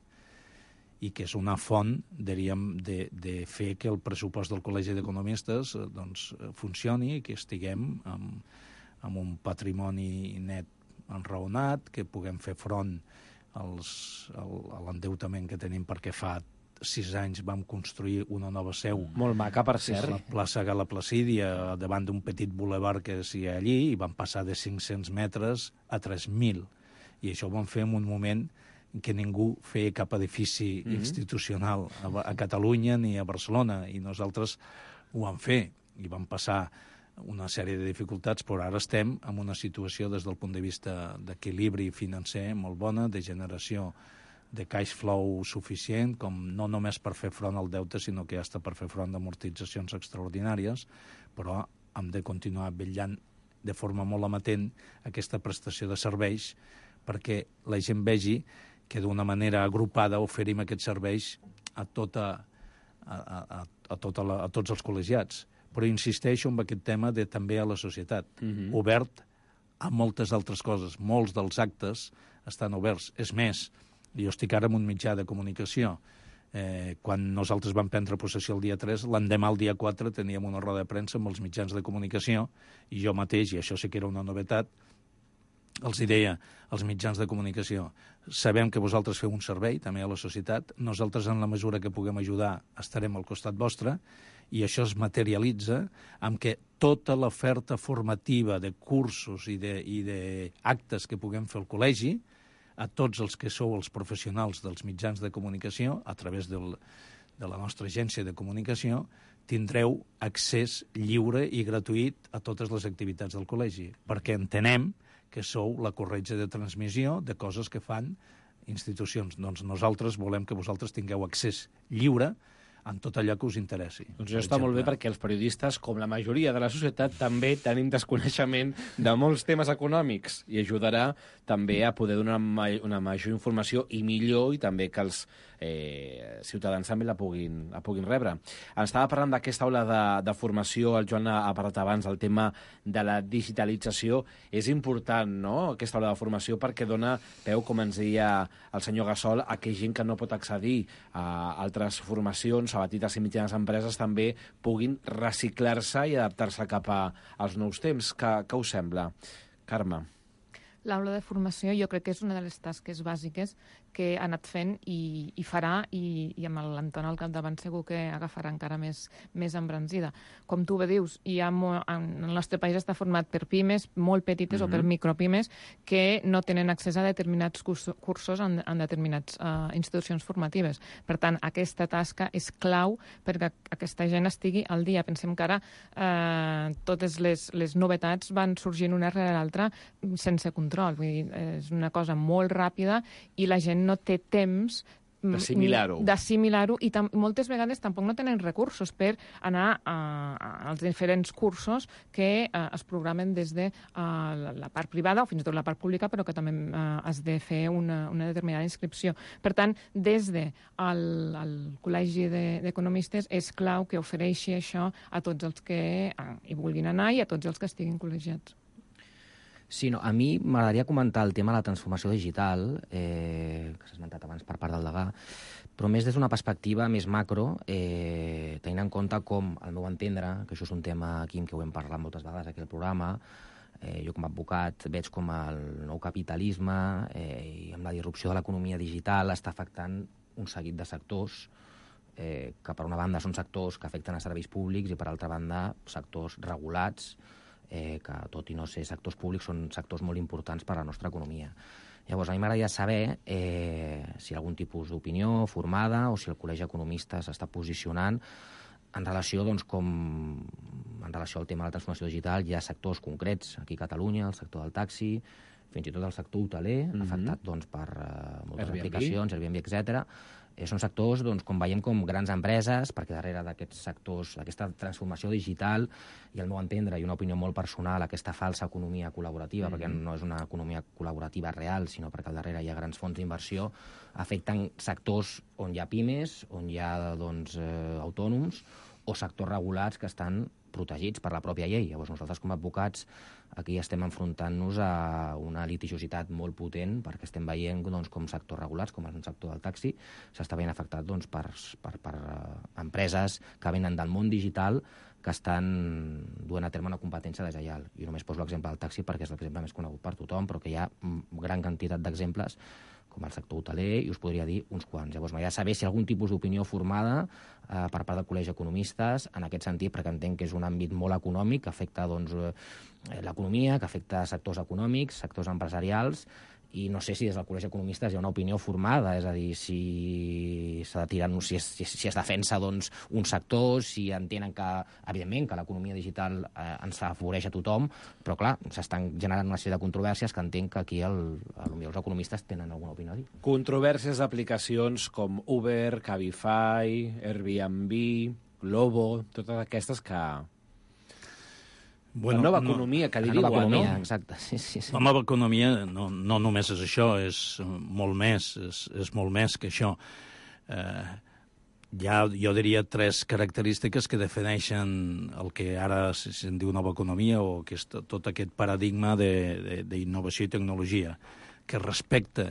i que és una font, diríem, de, de fer que el pressupost del Col·legi d'Economistes eh, doncs, funcioni i que estiguem amb, amb un patrimoni net enraonat, que puguem fer front als, al, a l'endeutament que tenim perquè fa sis anys vam construir una nova seu. Molt maca, per cert. La plaça Gala Placídia, davant d'un petit bulevard que hi ha allí, i vam passar de cinc-cents metres a tres mil. I això ho vam fer en un moment que ningú feia cap edifici mm-hmm. institucional a, a Catalunya ni a Barcelona, i nosaltres ho vam fer, i vam passar una sèrie de dificultats, però ara estem en una situació des del punt de vista d'equilibri financer molt bona, de generació de cash flow suficient, com no només per fer front al deute, sinó que hasta per fer front d'amortitzacions extraordinàries, però hem de continuar vetllant de forma molt amatent aquesta prestació de serveis perquè la gent vegi que d'una manera agrupada oferim aquests serveis a, tota, a, a, a, tota la, a tots els col·legiats. Però insisteixo en aquest tema de també a la societat, mm-hmm. obert a moltes altres coses. Molts dels actes estan oberts. És més, jo estic ara en un mitjà de comunicació. Eh, quan nosaltres vam prendre possessió el dia tres, l'endemà, el dia quatre, teníem una roda de premsa amb els mitjans de comunicació i jo mateix, i això sí que era una novetat, els hi deia als mitjans de comunicació: sabem que vosaltres feu un servei també a la societat, nosaltres en la mesura que puguem ajudar estarem al costat vostre, i això es materialitza amb que tota l'oferta formativa de cursos i d'actes que puguem fer al col·legi, a tots els que sou els professionals dels mitjans de comunicació, a través del, de la nostra agència de comunicació, tindreu accés lliure i gratuït a totes les activitats del col·legi, perquè entenem que sou la corretja de transmissió de coses que fan institucions. Doncs nosaltres volem que vosaltres tingueu accés lliure en tot allò que us interessi. Doncs això està molt bé, perquè els periodistes, com la majoria de la societat, també tenim desconeixement de molts temes econòmics, i ajudarà també a poder donar una major informació i millor, i també que els eh, ciutadans també la puguin, la puguin rebre. Ens estava parlant d'aquesta aula de, de formació, el Joan ha parlat abans del tema de la digitalització. És important, no?, aquesta aula de formació, perquè dona peu, com ens deia el senyor Gassol, a que gent que no pot accedir a altres formacions, a petites i mitjanes empreses, també puguin reciclar-se i adaptar-se cap a, als nous temps. Què, què us sembla? Carme. L'aula de formació jo crec que és una de les tasques bàsiques que ha anat fent i, i farà, i, i amb l'Anton al capdavant segur que agafarà encara més, més embranzida. Com tu bé dius, hi ha mo, en el nostre país està format per pimes molt petites mm-hmm. o per micropimes que no tenen accés a determinats cursos, cursos en, en determinats uh, institucions formatives. Per tant, aquesta tasca és clau perquè aquesta gent estigui al dia. Pensem que ara uh, totes les, les novetats van sorgint una rere l'altra sense control. Vull dir, és una cosa molt ràpida i la gent no té temps d'assimilar-ho. D'assimilar-ho, i tam moltes vegades tampoc no tenen recursos per anar a, a, als diferents cursos que a, es programen des de a, la, la part privada o fins i tot la part pública, però que també a, has de fer una, una determinada inscripció. Per tant, des de el, el Col·legi d'Economistes és clau que ofereixi això a tots els que a, hi vulguin anar i a tots els que estiguin col·legiats. Sí, no, a mi m'agradaria comentar el tema de la transformació digital, eh, que s'ha esmentat abans per part del degà, però més des d'una perspectiva més macro, eh, tenint en compte com, al meu entendre, que això és un tema, Quim, que ho hem parlat moltes vegades aquí al programa, eh, jo com a advocat veig com el nou capitalisme eh, i amb la disrupció de l'economia digital està afectant un seguit de sectors eh, que per una banda són sectors que afecten a serveis públics i per altra banda sectors regulats, Eh, que tot i no ser sectors públics són sectors molt importants per a la nostra economia. Llavors, a mi m'agradaria saber eh, si hi ha algun tipus d'opinió formada o si el Col·legi d'Economistes s'està posicionant en relació, doncs, com, en relació al tema de la transformació digital. Hi ha sectors concrets aquí a Catalunya, el sector del taxi, fins i tot el sector hoteler, mm-hmm. afectat doncs, per uh, moltes Airbnb. aplicacions, Airbnb, etcètera. Eh, són sectors, doncs, com veiem, com grans empreses, perquè darrere d'aquests sectors, d'aquesta transformació digital, i al meu entendre, i una opinió molt personal, aquesta falsa economia col·laborativa, mm-hmm. perquè no és una economia col·laborativa real, sinó perquè al darrere hi ha grans fons d'inversió, afecten sectors on hi ha pimes, on hi ha doncs, eh, autònoms, o sectors regulats que estan protegits per la pròpia llei. Llavors nosaltres com a advocats aquí estem enfrontant-nos a una litigiositat molt potent perquè estem veient doncs, com sectors regulats, com el sector del taxi, s'està veient afectat doncs, per, per, per uh, empreses que venen del món digital que estan duent a terme una competència deslleial. Jo només poso l'exemple del taxi perquè és l'exemple més conegut per tothom, però que hi ha gran quantitat d'exemples com el sector hoteler, i us podria dir uns quants. Llavors, m'agradaria saber si hi ha algun tipus d'opinió formada eh, per part del Col·legi d'Economistes en aquest sentit, perquè entenc que és un àmbit molt econòmic, que afecta doncs, eh, l'economia, que afecta sectors econòmics, sectors empresarials, i no sé si des del Col·legi d'Economistes hi ha una opinió formada, és a dir, si s'ha de tirar, si es, si, si es defensa doncs, un sector, si entenen que, evidentment, que l'economia digital eh, ens afavoreix a tothom, però clar, s'estan generant una sèrie de controvèrsies que entenc que aquí el, el, els economistes tenen alguna opinió a dir. Controvèrsies d'aplicacions com Uber, Cabify, Airbnb, Glovo, totes aquestes que... Bueno, la nova economia, no, que diria igual, no? Exacte, sí, sí, sí. La nova economia no, no només és això, és molt més, és, és molt més que això. Eh, hi ha, jo diria, tres característiques que defineixen el que ara se'n diu nova economia o que és tot aquest paradigma d'innovació i tecnologia, que respecta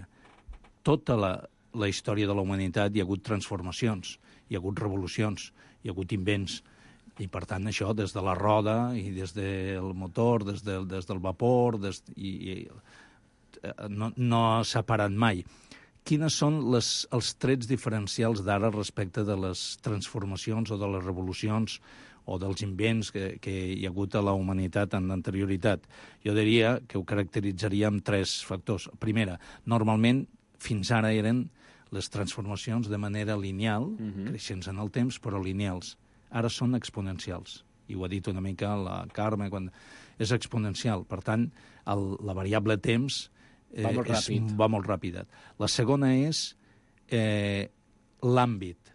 tota la, la història de la humanitat. Hi ha hagut transformacions, hi ha hagut revolucions, hi ha hagut invents, i per tant això des de la roda i des del motor, des, de, des del vapor, des, i, i no, no s'ha parat mai. Quines són les, els trets diferencials d'ara respecte de les transformacions o de les revolucions o dels invents que, que hi ha hagut a la humanitat en l'anterioritat? Jo diria que ho caracteritzaria amb tres factors. Primera, normalment fins ara eren les transformacions de manera lineal, uh-huh. creixents en el temps, però lineals. Ara són exponencials. I ho ha dit una mica la Carme, quan és exponencial. Per tant, el, la variable temps va molt és, ràpid. Va molt ràpid. La segona és eh, l'àmbit.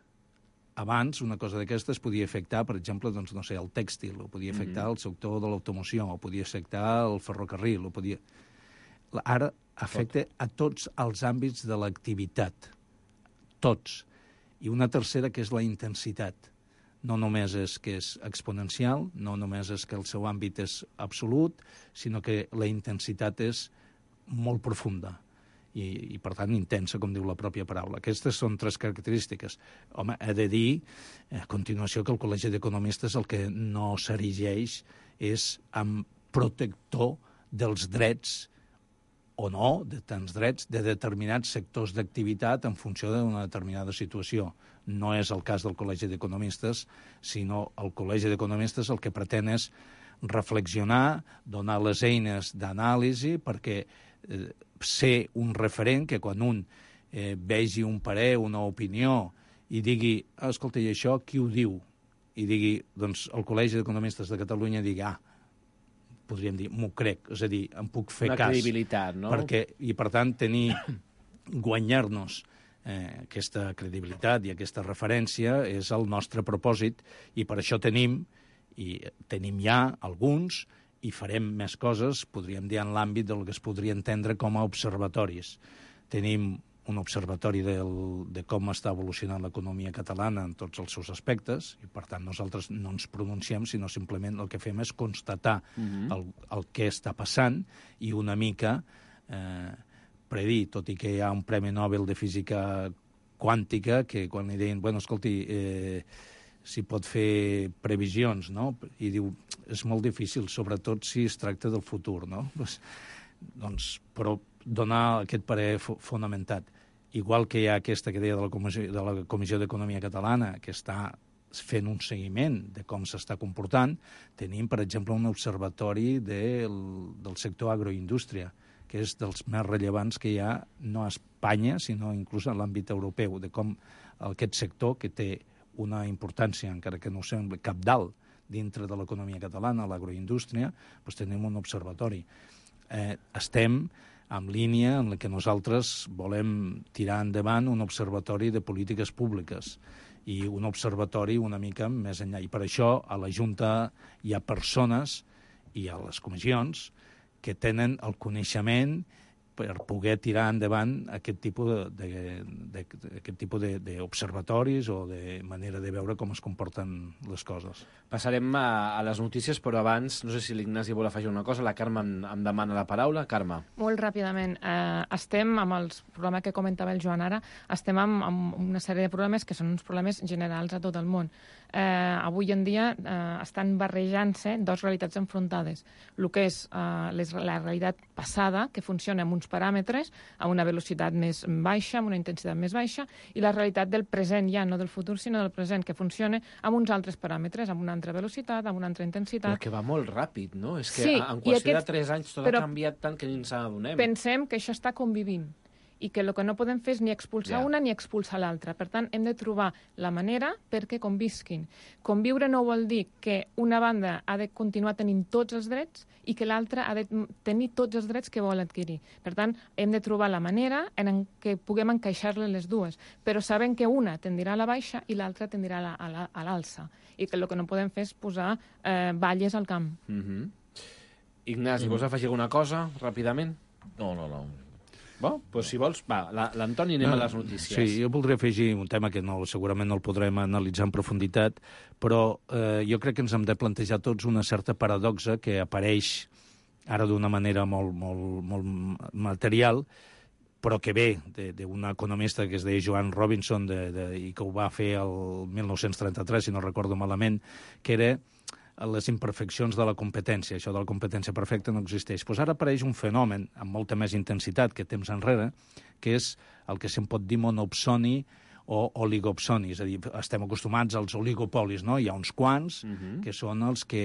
Abans, una cosa d'aquestes podia afectar, per exemple, doncs, no sé, el tèxtil, o podia afectar mm-hmm. el sector de l'automoció, o podia afectar el ferrocarril, o podia... Ara afecta Tot. a tots els àmbits de l'activitat. Tots. I una tercera, que és la intensitat. No només és que és exponencial, no només és que el seu àmbit és absolut, sinó que la intensitat és molt profunda i, i, per tant, intensa, com diu la pròpia paraula. Aquestes són tres característiques. Home, he de dir, a continuació, que el Col·legi d'Economistes el que no s'erigeix és amb protector dels drets o no, de tants drets, de determinats sectors d'activitat en funció d'una determinada situació. No és el cas del Col·legi d'Economistes, sinó el Col·legi d'Economistes el que pretén és reflexionar, donar les eines d'anàlisi perquè eh, ser un referent que quan un eh, vegi un parer, una opinió i digui, ah, escolta, i això qui ho diu? I digui, doncs el Col·legi d'Economistes de Catalunya digui, ah, podríem dir, m'ho crec, és a dir, em puc fer Una cas. Una credibilitat, no? Perquè, i per tant, tenir, guanyar-nos eh, aquesta credibilitat i aquesta referència és el nostre propòsit i per això tenim i tenim ja alguns, i farem més coses, podríem dir, en l'àmbit del que es podria entendre com a observatoris. Tenim un observatori del, de com està evolucionant l'economia catalana en tots els seus aspectes, i per tant nosaltres no ens pronunciem, sinó simplement el que fem és constatar uh-huh. el, el que està passant i una mica eh, predir, tot i que hi ha un Premi Nobel de Física Quàntica que quan li deien, bueno, escolti, eh, si pot fer previsions, no? I diu, és molt difícil, sobretot si es tracta del futur, no? Pues, doncs, però donar aquest parer fonamentat. Igual que hi ha aquesta que deia de la Comissió, de la Comissió d'Economia Catalana, que està fent un seguiment de com s'està comportant, tenim, per exemple, un observatori del, del sector agroindústria, que és dels més rellevants que hi ha, no a Espanya, sinó inclús en l'àmbit europeu, de com aquest sector, que té una importància, encara que no sembli cabdal, dintre de l'economia catalana, l'agroindústria, doncs tenim un observatori. Eh, estem en línia en la que nosaltres volem tirar endavant un observatori de polítiques públiques i un observatori una mica més enllà. I per això a la Junta hi ha persones i a les comissions que tenen el coneixement per poder tirar endavant aquest tipus de, de, de, aquest tipus de, d'observatoris o de manera de veure com es comporten les coses. Passarem a, a les notícies, però abans, no sé si l'Ignasi vol afegir una cosa, la Carme em, em demana la paraula. Carme. Molt ràpidament. Eh, estem amb els problemes que comentava el Joan ara, estem amb, amb una sèrie de problemes que són uns problemes generals a tot el món. Eh, avui en dia eh, estan barrejant-se dues realitats enfrontades. El que és eh, les, la realitat passada, que funciona amb uns paràmetres, a una velocitat més baixa, amb una intensitat més baixa, i la realitat del present, ja no del futur, sinó del present, que funciona amb uns altres paràmetres, amb una altra velocitat, amb una altra intensitat. Però que va molt ràpid, no? És que sí, en qüestió aquest... de tres anys tot ha canviat tant que ni ens n'adonem. Pensem que això està convivint i que el que no podem fer és ni expulsar yeah. una ni expulsar l'altra. Per tant, hem de trobar la manera perquè convisquin. Conviure no vol dir que una banda ha de continuar tenint tots els drets i que l'altra ha de tenir tots els drets que vol adquirir. Per tant, hem de trobar la manera en què puguem encaixar-les les dues, però sabem que una tendirà a la baixa i l'altra tendirà a, la, a, la, a l'alça, i que el que no podem fer és posar eh, valles al camp. Mm-hmm. Ignasi, mm-hmm. vols afegir alguna cosa, ràpidament? No, no, no. Bo, doncs si vols, va, l'Antoni, anem a les notícies. Sí, jo voldria afegir un tema que no, segurament no el podrem analitzar en profunditat, però eh, jo crec que ens hem de plantejar tots una certa paradoxa que apareix ara d'una manera molt, molt, molt material, però que ve d'un economista que es deia Joan Robinson de, de, i que ho va fer el mil nou-cents trenta-tres, si no recordo malament, que era les imperfeccions de la competència. Això de la competència perfecta no existeix. Pues ara apareix un fenomen amb molta més intensitat que temps enrere, que és el que se'n pot dir monopsoni o oligopsoni. És a dir, estem acostumats als oligopolis, no? Hi ha uns quants uh-huh. que són els que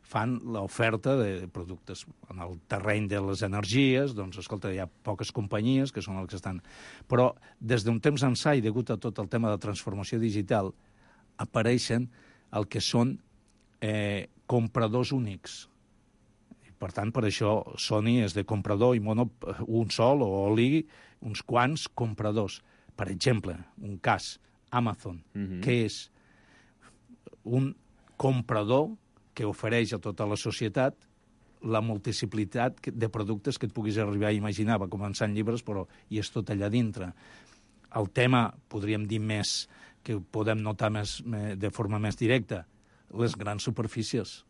fan l'oferta de productes. En el terreny de les energies, doncs, escolta, hi ha poques companyies que són els que estan... Però des d'un temps ençà, i degut a tot el tema de transformació digital, apareixen el que són Eh, compradors únics. I, per tant, per això Sony és de comprador i mono un sol o oli, uns quants compradors. Per exemple, un cas, Amazon, mm-hmm. que és un comprador que ofereix a tota la societat la multiplicitat de productes que et puguis arribar a imaginar. Va començar en llibres, però hi és tot allà dintre. El tema, podríem dir més, que podem notar més, de forma més directa, les grans superfícies.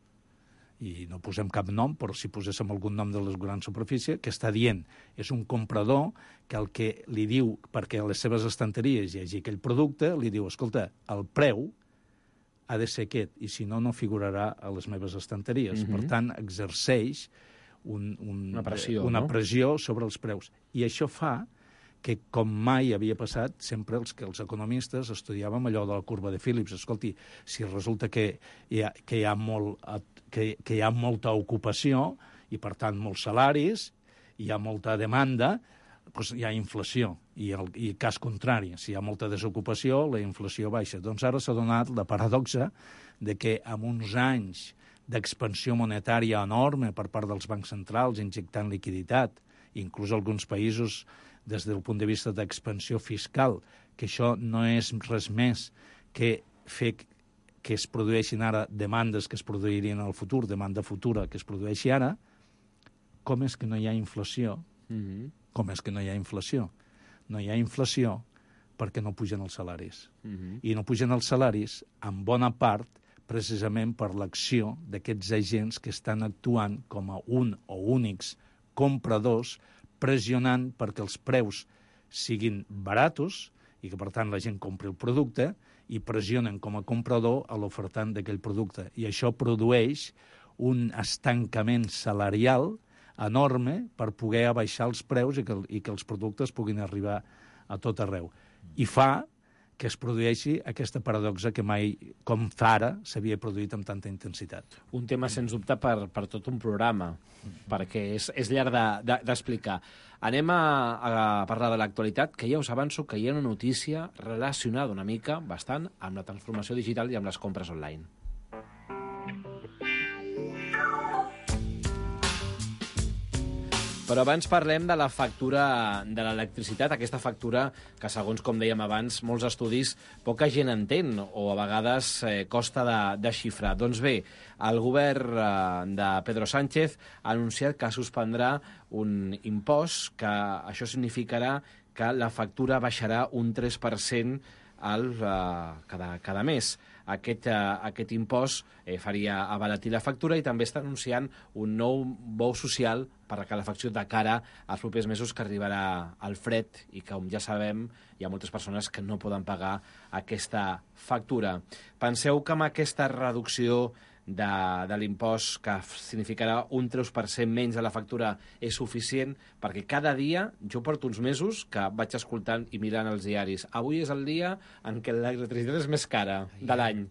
I no posem cap nom, però si poséssim algun nom de les grans superfícies, que està dient, és un comprador que el que li diu, perquè a les seves estanteries hi hagi aquell producte, li diu, escolta, el preu ha de ser aquest, i si no, no figurarà a les meves estanteries. Mm-hmm. Per tant, exerceix un, un, una, pressió, una no? pressió sobre els preus. I això fa que, com mai havia passat, sempre els que els economistes estudiàvem allò de la curva de Phillips. Escolti, si resulta que hi ha, que hi ha, molt, que, que hi ha molta ocupació i, per tant, molts salaris, hi ha molta demanda, doncs hi ha inflació. I el i cas contrari, si hi ha molta desocupació, la inflació baixa. Doncs ara s'ha donat la paradoxa de que amb uns anys d'expansió monetària enorme per part dels bancs centrals, injectant liquiditat, inclús alguns països des del punt de vista d'expansió fiscal, que això no és res més que fer que es produeixin ara demandes que es produirien en el futur, demanda futura que es produeixi ara, com és que no hi ha inflació? Mm-hmm. Com és que no hi ha inflació? No hi ha inflació perquè no pugen els salaris. Mm-hmm. I no pugen els salaris, en bona part, precisament per l'acció d'aquests agents que estan actuant com a un o únics compradors, pressionant perquè els preus siguin baratos i que, per tant, la gent compri el producte i pressionen com a comprador a l'ofertant d'aquell producte. I això produeix un estancament salarial enorme per poder abaixar els preus i que, i que els productes puguin arribar a tot arreu. I fa que es produeixi aquesta paradoxa que mai, com fa ara, s'havia produït amb tanta intensitat. Un tema, sens dubte, per, per tot un programa, perquè és, és llarg d'explicar. De, de, Anem a, a parlar de l'actualitat, que ja us avanço que hi ha una notícia relacionada una mica, bastant, amb la transformació digital i amb les compres online. Però abans parlem de la factura de l'electricitat, aquesta factura que, segons com dèiem abans, molts estudis poca gent entén o a vegades eh, costa de, de xifrar. Doncs bé, el govern eh, de Pedro Sánchez ha anunciat que suspendrà un impost, que això significarà que la factura baixarà un tres per cent al, eh, cada, cada mes. Aquest, eh, aquest impost eh, faria abaratir la factura i també està anunciant un nou bou social per la calefacció de cara als propers mesos, que arribarà al fred i que, com ja sabem, hi ha moltes persones que no poden pagar aquesta factura. Penseu que amb aquesta reducció de, de l'impost, que significarà un tres per cent menys de la factura, és suficient? Perquè cada dia, jo porto uns mesos que vaig escoltant i mirant els diaris. Avui és el dia en què l'electricitat és més cara de l'any.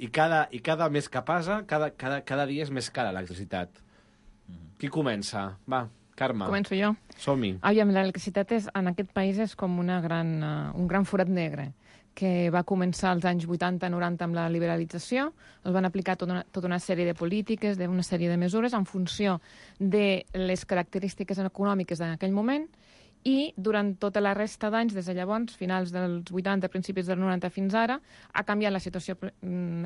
I cada, i cada mes que passa, cada, cada, cada dia és més cara l'electricitat. Qui comença? Va, Carme. Començo jo. Som-hi. Aviam, l'electricitat és, en aquest país és com una gran, uh, un gran forat negre, que va començar als anys vuitanta noranta amb la liberalització. Es van aplicar tota una, tota una sèrie de polítiques, d'una sèrie de mesures en funció de les característiques econòmiques d'aquell moment, i durant tota la resta d'anys, des de llavors, finals dels vuitanta, principis dels noranta fins ara, ha canviat la situació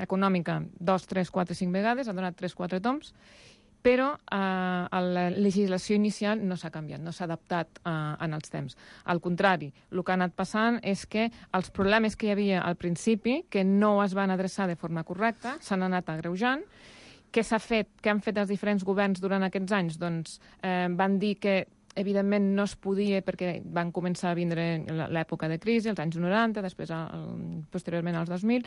econòmica dos, tres, quatre, cinc vegades, ha donat tres, quatre toms, però eh, la legislació inicial no s'ha canviat, no s'ha adaptat eh, en els temps. Al contrari, el que ha anat passant és que els problemes que hi havia al principi, que no es van adreçar de forma correcta, s'han anat agreujant. Què s'ha fet? Què han fet els diferents governs durant aquests anys? Doncs eh, van dir que evidentment no es podia perquè van començar a vindre l'època de crisi, els anys noranta, després el, posteriorment als dos mil,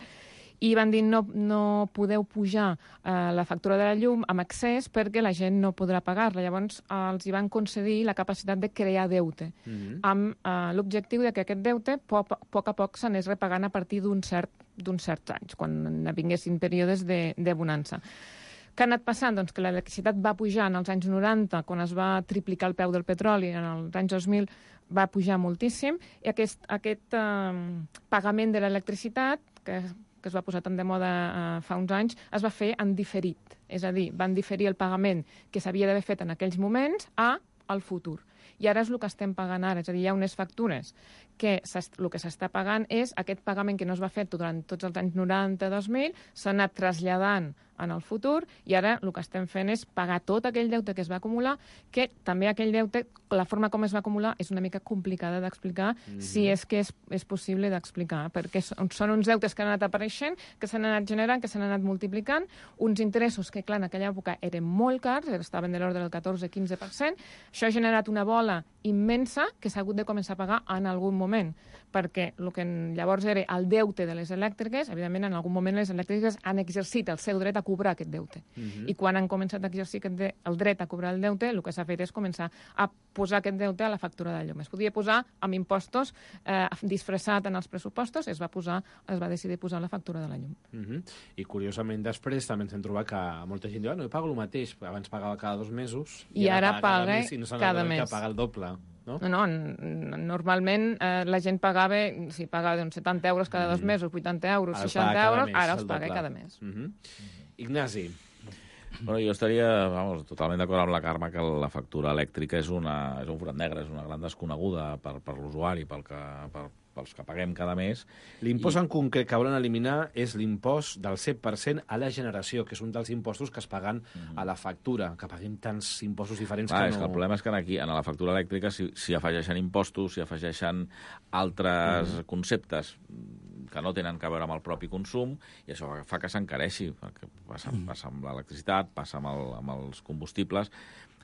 i van dir no, no podeu pujar eh, la factura de la llum amb excés perquè la gent no podrà pagar-la. Llavors eh, els hi van concedir la capacitat de crear deute, mm-hmm. amb eh, l'objectiu de que aquest deute a poc, poc a poc s'anés repagant a partir d'un cert, d'uns certs anys, quan vinguessin períodes de, de bonança. Què ha anat passant? Doncs que l'electricitat va pujar en els anys noranta, quan es va triplicar el preu del petroli, en els anys dos mil va pujar moltíssim, i aquest, aquest eh, pagament de l'electricitat, que, que es va posar tan de moda eh, fa uns anys, es va fer en diferit. És a dir, van diferir el pagament que s'havia d'haver fet en aquells moments a al futur. I ara és el que estem pagant ara, és a dir, hi ha unes factures que el que s'està pagant és aquest pagament que no es va fer durant tots els anys noranta dos mil, s'ha anat traslladant en el futur, i ara el que estem fent és pagar tot aquell deute que es va acumular, que també aquell deute, la forma com es va acumular, és una mica complicada d'explicar, mm-hmm. si és que és, és possible d'explicar, perquè són, són uns deutes que han anat apareixent, que s'han anat generant, que s'han anat multiplicant, uns interessos que, clar, en aquella època eren molt cars, estaven de l'ordre del catorze a quinze per cent, això ha generat una bola immensa que s'ha hagut de començar a pagar en algun moment, perquè el que llavors era el deute de les elèctriques, evidentment en algun moment les elèctriques han exercit el seu dret a cobrar aquest deute. Uh-huh. I quan han començat a exercir aquest de, el dret a cobrar el deute, el que s'ha fet és començar a posar aquest deute a la factura de llum. Es podia posar amb impostos eh, disfressat en els pressupostos, es va posar, es va decidir posar la factura de la llum. Uh-huh. I curiosament després també ens hem trobat que molta gent diu ah, no, jo pago el mateix, abans pagava cada dos mesos i, i ara, ara paga cada mes i no s'ha cada mes. Que paga el doble. No? No, no, normalment eh, la gent pagava, si pagava uns setanta euros cada dos mesos, vuitanta euros, ara seixanta euros, mes, ara els paga cada mes. Uh-huh. Uh-huh. Ignasi. Bueno, jo estaria vamos, totalment d'acord amb la Carme que la factura elèctrica és, una, és un forat negre, és una gran desconeguda per, per l'usuari, pel que, per, pels que paguem cada mes. L'impost I... en concret que volen eliminar és l'impost del set per cent a la generació, que és un dels impostos que es paguen mm. a la factura, que paguem tants impostos diferents ah, que és no... Que el problema és que aquí, en la factura elèctrica, si, si afegeixen impostos, si afegeixen altres mm. conceptes que no tenen a veure amb el propi consum, i això fa que s'encareixi, perquè passa, mm. passa amb l'electricitat, passa amb, el, amb els combustibles,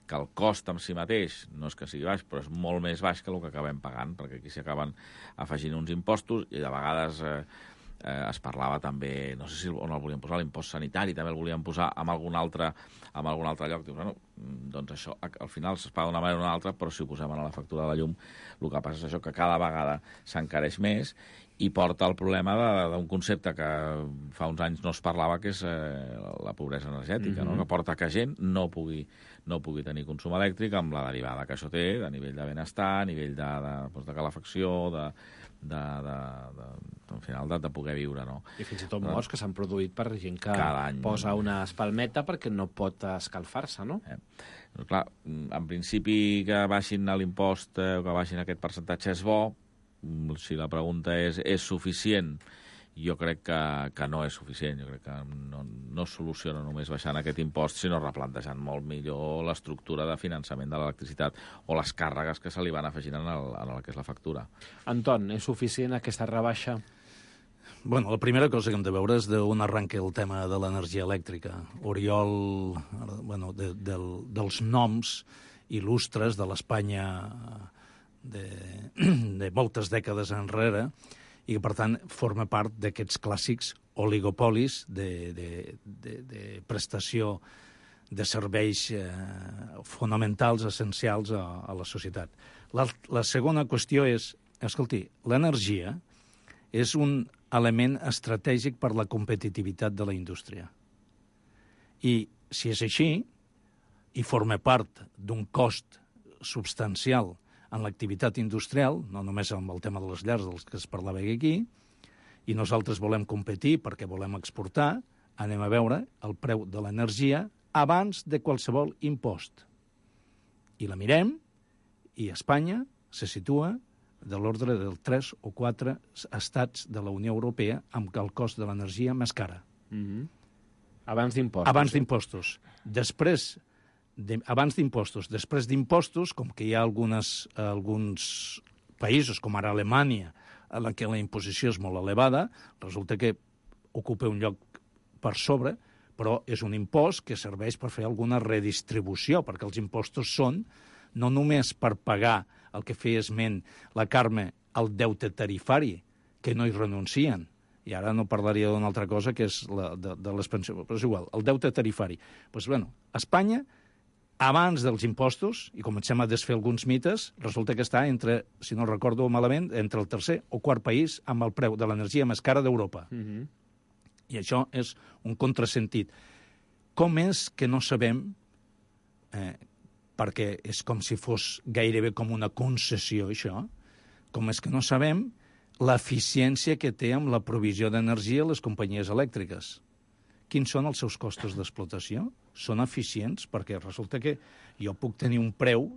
que el cost en si mateix no és que sigui baix, però és molt més baix que el que acabem pagant, perquè aquí s'hi acaben afegint uns impostos, i de vegades eh, eh, es parlava també, no sé si on el volien posar, l'impost sanitari, també el volien posar en algun altre, en algun altre lloc. Dius, bueno, doncs això al final es paga d'una manera o d'una altra, però si ho posem a la factura de la llum, el que passa és això, que cada vegada s'encareix més, i porta el problema d'un concepte que fa uns anys no es parlava, que és eh, la pobresa energètica, mm-hmm. no? Que porta que gent no pugui, no pugui tenir consum elèctric amb la derivada que això té a nivell de benestar, a nivell de, de, doncs de calefacció, de, de, de, de, al final de, de poder viure. No? I fins i tot morts que s'han produït per gent que posa una espalmeta perquè no pot escalfar-se, no? Eh. Clar, en principi que baixin l'impost eh, o que baixin aquest percentatge és bo. Si la pregunta és és suficient, jo crec que, que no és suficient. Jo crec que no, no es soluciona només baixant aquest impost, sinó replantejant molt millor l'estructura de finançament de l'electricitat o les càrregues que se li van afegint en el, en el que és la factura. Anton, és suficient aquesta rebaixa? Bueno, la primera cosa que hem de veure és d'on arranca el tema de l'energia elèctrica. Oriol, bueno, de, del, dels noms il·lustres de l'Espanya de, de moltes dècades enrere, i que, per tant, forma part d'aquests clàssics oligopolis de, de, de, de prestació de serveis eh, fonamentals, essencials a, a la societat. La, la segona qüestió és, escolti, l'energia és un element estratègic per la competitivitat de la indústria. I si és així, i forma part d'un cost substancial en l'activitat industrial, no només amb el tema de les llars dels que es parlava aquí, i nosaltres volem competir perquè volem exportar, anem a veure el preu de l'energia abans de qualsevol impost. I la mirem, i Espanya se situa de l'ordre del tres o quatre estats de la Unió Europea amb el cost de l'energia més cara. Mm-hmm. Abans d'impostos. Abans d'impostos. Després de, abans d'impostos. Després d'impostos, com que hi ha algunes, alguns països, com ara Alemanya, en la que la imposició és molt elevada, resulta que ocupa un lloc per sobre, però és un impost que serveix per fer alguna redistribució, perquè els impostos són no només per pagar el que feia esment la Carme, el deute tarifari, que no hi renuncien. I ara no parlaria d'una altra cosa, que és la de, de les pensions, però és igual, el deute tarifari. Doncs, bueno, Espanya, abans dels impostos, i comencem a desfer alguns mites, resulta que està entre, si no recordo malament, entre el tercer o quart país amb el preu de l'energia més cara d'Europa. Mm-hmm. I això és un contrasentit. Com és que no sabem, eh, perquè és com si fos gairebé com una concessió, això, com és que no sabem l'eficiència que té amb la provisió d'energia les companyies elèctriques. Quins són els seus costos d'explotació? Són eficients? Perquè resulta que jo puc tenir un preu,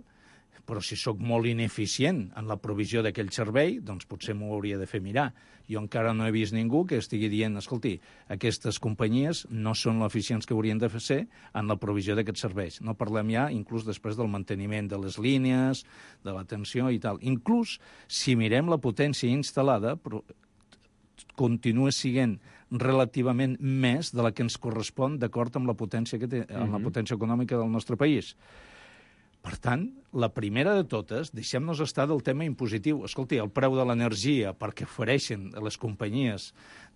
però si sóc molt ineficient en la provisió d'aquell servei, doncs potser m'ho hauria de fer mirar. Jo encara no he vist ningú que estigui dient, escolti, aquestes companyies no són l'eficients que haurien de ser en la provisió d'aquests serveis. No parlem ja, inclús després del manteniment de les línies, de l'atenció i tal. Inclús, si mirem la potència instal·lada, però continua sent relativament més de la que ens correspon d'acord amb la potència que té, mm-hmm. amb la potència econòmica del nostre país. Per tant, la primera de totes, deixem-nos estar del tema impositiu. Escolti, el preu de l'energia perquè ofereixen les companyies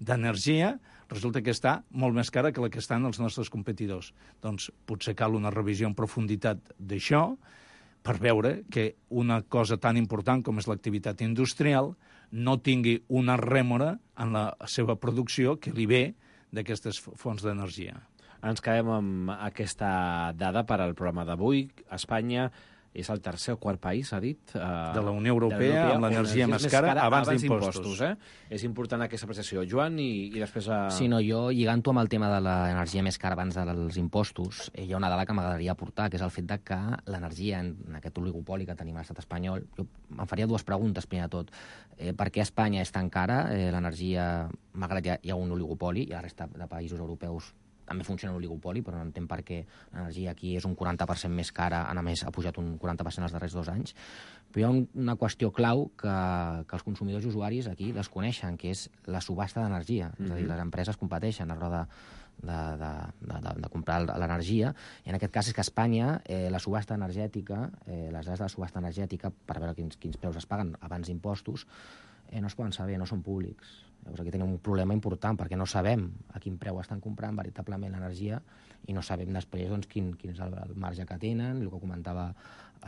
d'energia resulta que està molt més cara que la que estan els nostres competidors. Doncs potser cal una revisió en profunditat d'això per veure que una cosa tan important com és l'activitat industrial no tingui una rèmora en la seva producció que li ve d'aquestes fonts d'energia. Ens quedem amb aquesta dada per al programa d'avui. Espanya és el tercer o quart país, ha dit? Uh, de la Unió Europea, amb l'energia més cara, abans, abans d'impostos. Eh? És important aquesta apreciació. Joan, i, i després... A... Sí, no, jo, lligant-ho amb el tema de l'energia més cara abans dels impostos, eh, hi ha una dada que m'agradaria aportar, que és el fet de que l'energia, en, en aquest oligopoli que tenim a l'estat espanyol, jo em faria dues preguntes, primer de tot. Eh, per què Espanya és tan cara? Eh, l'energia, malgrat hi ha, hi ha un oligopoli, i la resta de països europeus també funciona l'oligopoli, però no entenc per què l'energia aquí és un quaranta per cent més cara, a més ha pujat un quaranta per cent els darrers dos anys. Però hi ha un, una qüestió clau que, que els consumidors i usuaris aquí desconeixen, que és la subhasta d'energia. Mm-hmm. És a dir, les empreses competeixen a l'hora de, de, de, de, de, de comprar l'energia, i en aquest cas és que a Espanya eh, la subhasta energètica, eh, les dades de la subhasta energètica, per veure quins, quins preus es paguen abans d'impostos, eh, no es poden saber, no són públics. Llavors aquí tenim un problema important, perquè no sabem a quin preu estan comprant veritablement l'energia i no sabem després doncs, quin, quin és el, el marge que tenen, el que comentava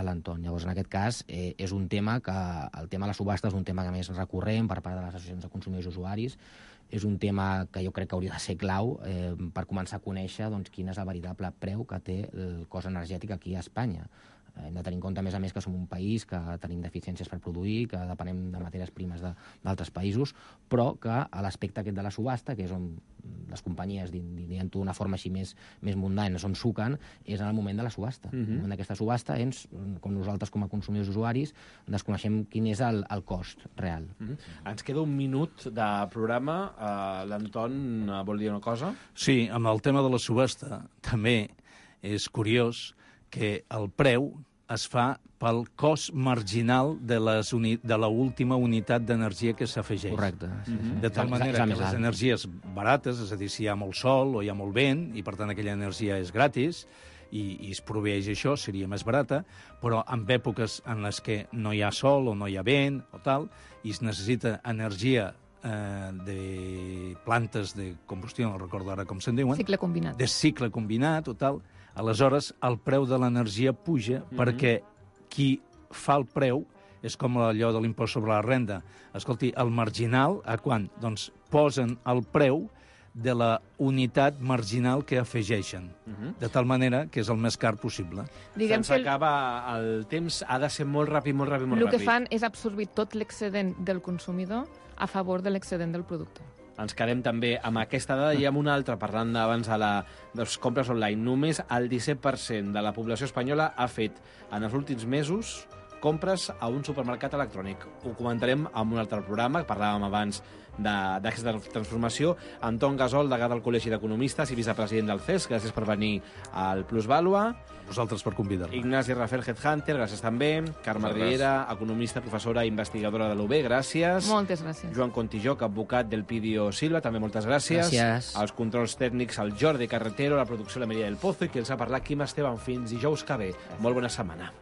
l'Anton. Llavors, en aquest cas, eh, és un tema que... El tema de la subhasta és un tema que més recurrent per part de les associacions de consumidors i usuaris. És un tema que jo crec que hauria de ser clau eh, per començar a conèixer doncs, quin és el veritable preu que té el cost energètic aquí a Espanya. Hem de tenir en compte, a més a més, que som un país que tenim deficiències per produir, que depenem de matèries primes d'altres països, però que a l'aspecte aquest de la subhasta, que és on les companyies, dient-ho d'una forma així més, més mundana, on suquen, és en el moment de la subhasta. Mm-hmm. En el moment d'aquesta subhasta, ens, com nosaltres com a consumidors i usuaris, desconeixem quin és el, el cost real. Mm-hmm. Ens queda un minut de programa. Uh, L'Anton vol dir una cosa? Sí, amb el tema de la subhasta també és curiós que el preu es fa pel cost marginal de, les uni de l'última unitat d'energia que s'afegeix. Correcte. Sí, sí. De tal manera que les energies barates, és a dir, si hi ha molt sol o hi ha molt vent, i per tant aquella energia és gratis, i, i es proveeix això, seria més barata, però en èpoques en les que no hi ha sol o no hi ha vent o tal, i es necessita energia eh, de plantes de combustió, no recordo ara com se'n diuen, cicle combinat. de cicle combinat o tal, aleshores el preu de l'energia puja, mm-hmm. perquè qui fa el preu és com allò de l'impost sobre la renda. Escolti, el marginal, a quan? Doncs posen el preu de la unitat marginal que afegeixen, uh-huh. de tal manera que és el més car possible. Diguem Se'ns que acaba el temps, ha de ser molt ràpid, molt ràpid, molt ràpid. El que ràpid. fan és absorbir tot l'excedent del consumidor a favor de l'excedent del productor. Ens quedem també amb aquesta dada i amb una altra, parlant abans de, la, de les compres online. Només el disset per cent de la població espanyola ha fet en els últims mesos compres a un supermercat electrònic. Ho comentarem en un altre programa, parlàvem abans d'aquesta transformació. Anton Gasol, degà del Col·legi d'Economistes i vicepresident del C E S, gràcies per venir al Plusvàlua. Vosaltres per convidar-me. Ignasi Rafel Headhunter, gràcies també. Carme Riera, economista, professora i investigadora de l'U B, gràcies. Moltes gràcies. Joan Contijoc, advocat del Pidio Silva, també moltes gràcies. Gràcies. Els controls tècnics, el Jordi Carretero, la producció la Maria del Pozo, i qui els ha parlat, Quim Esteban. Fins dijous que ve. Molt bona setmana.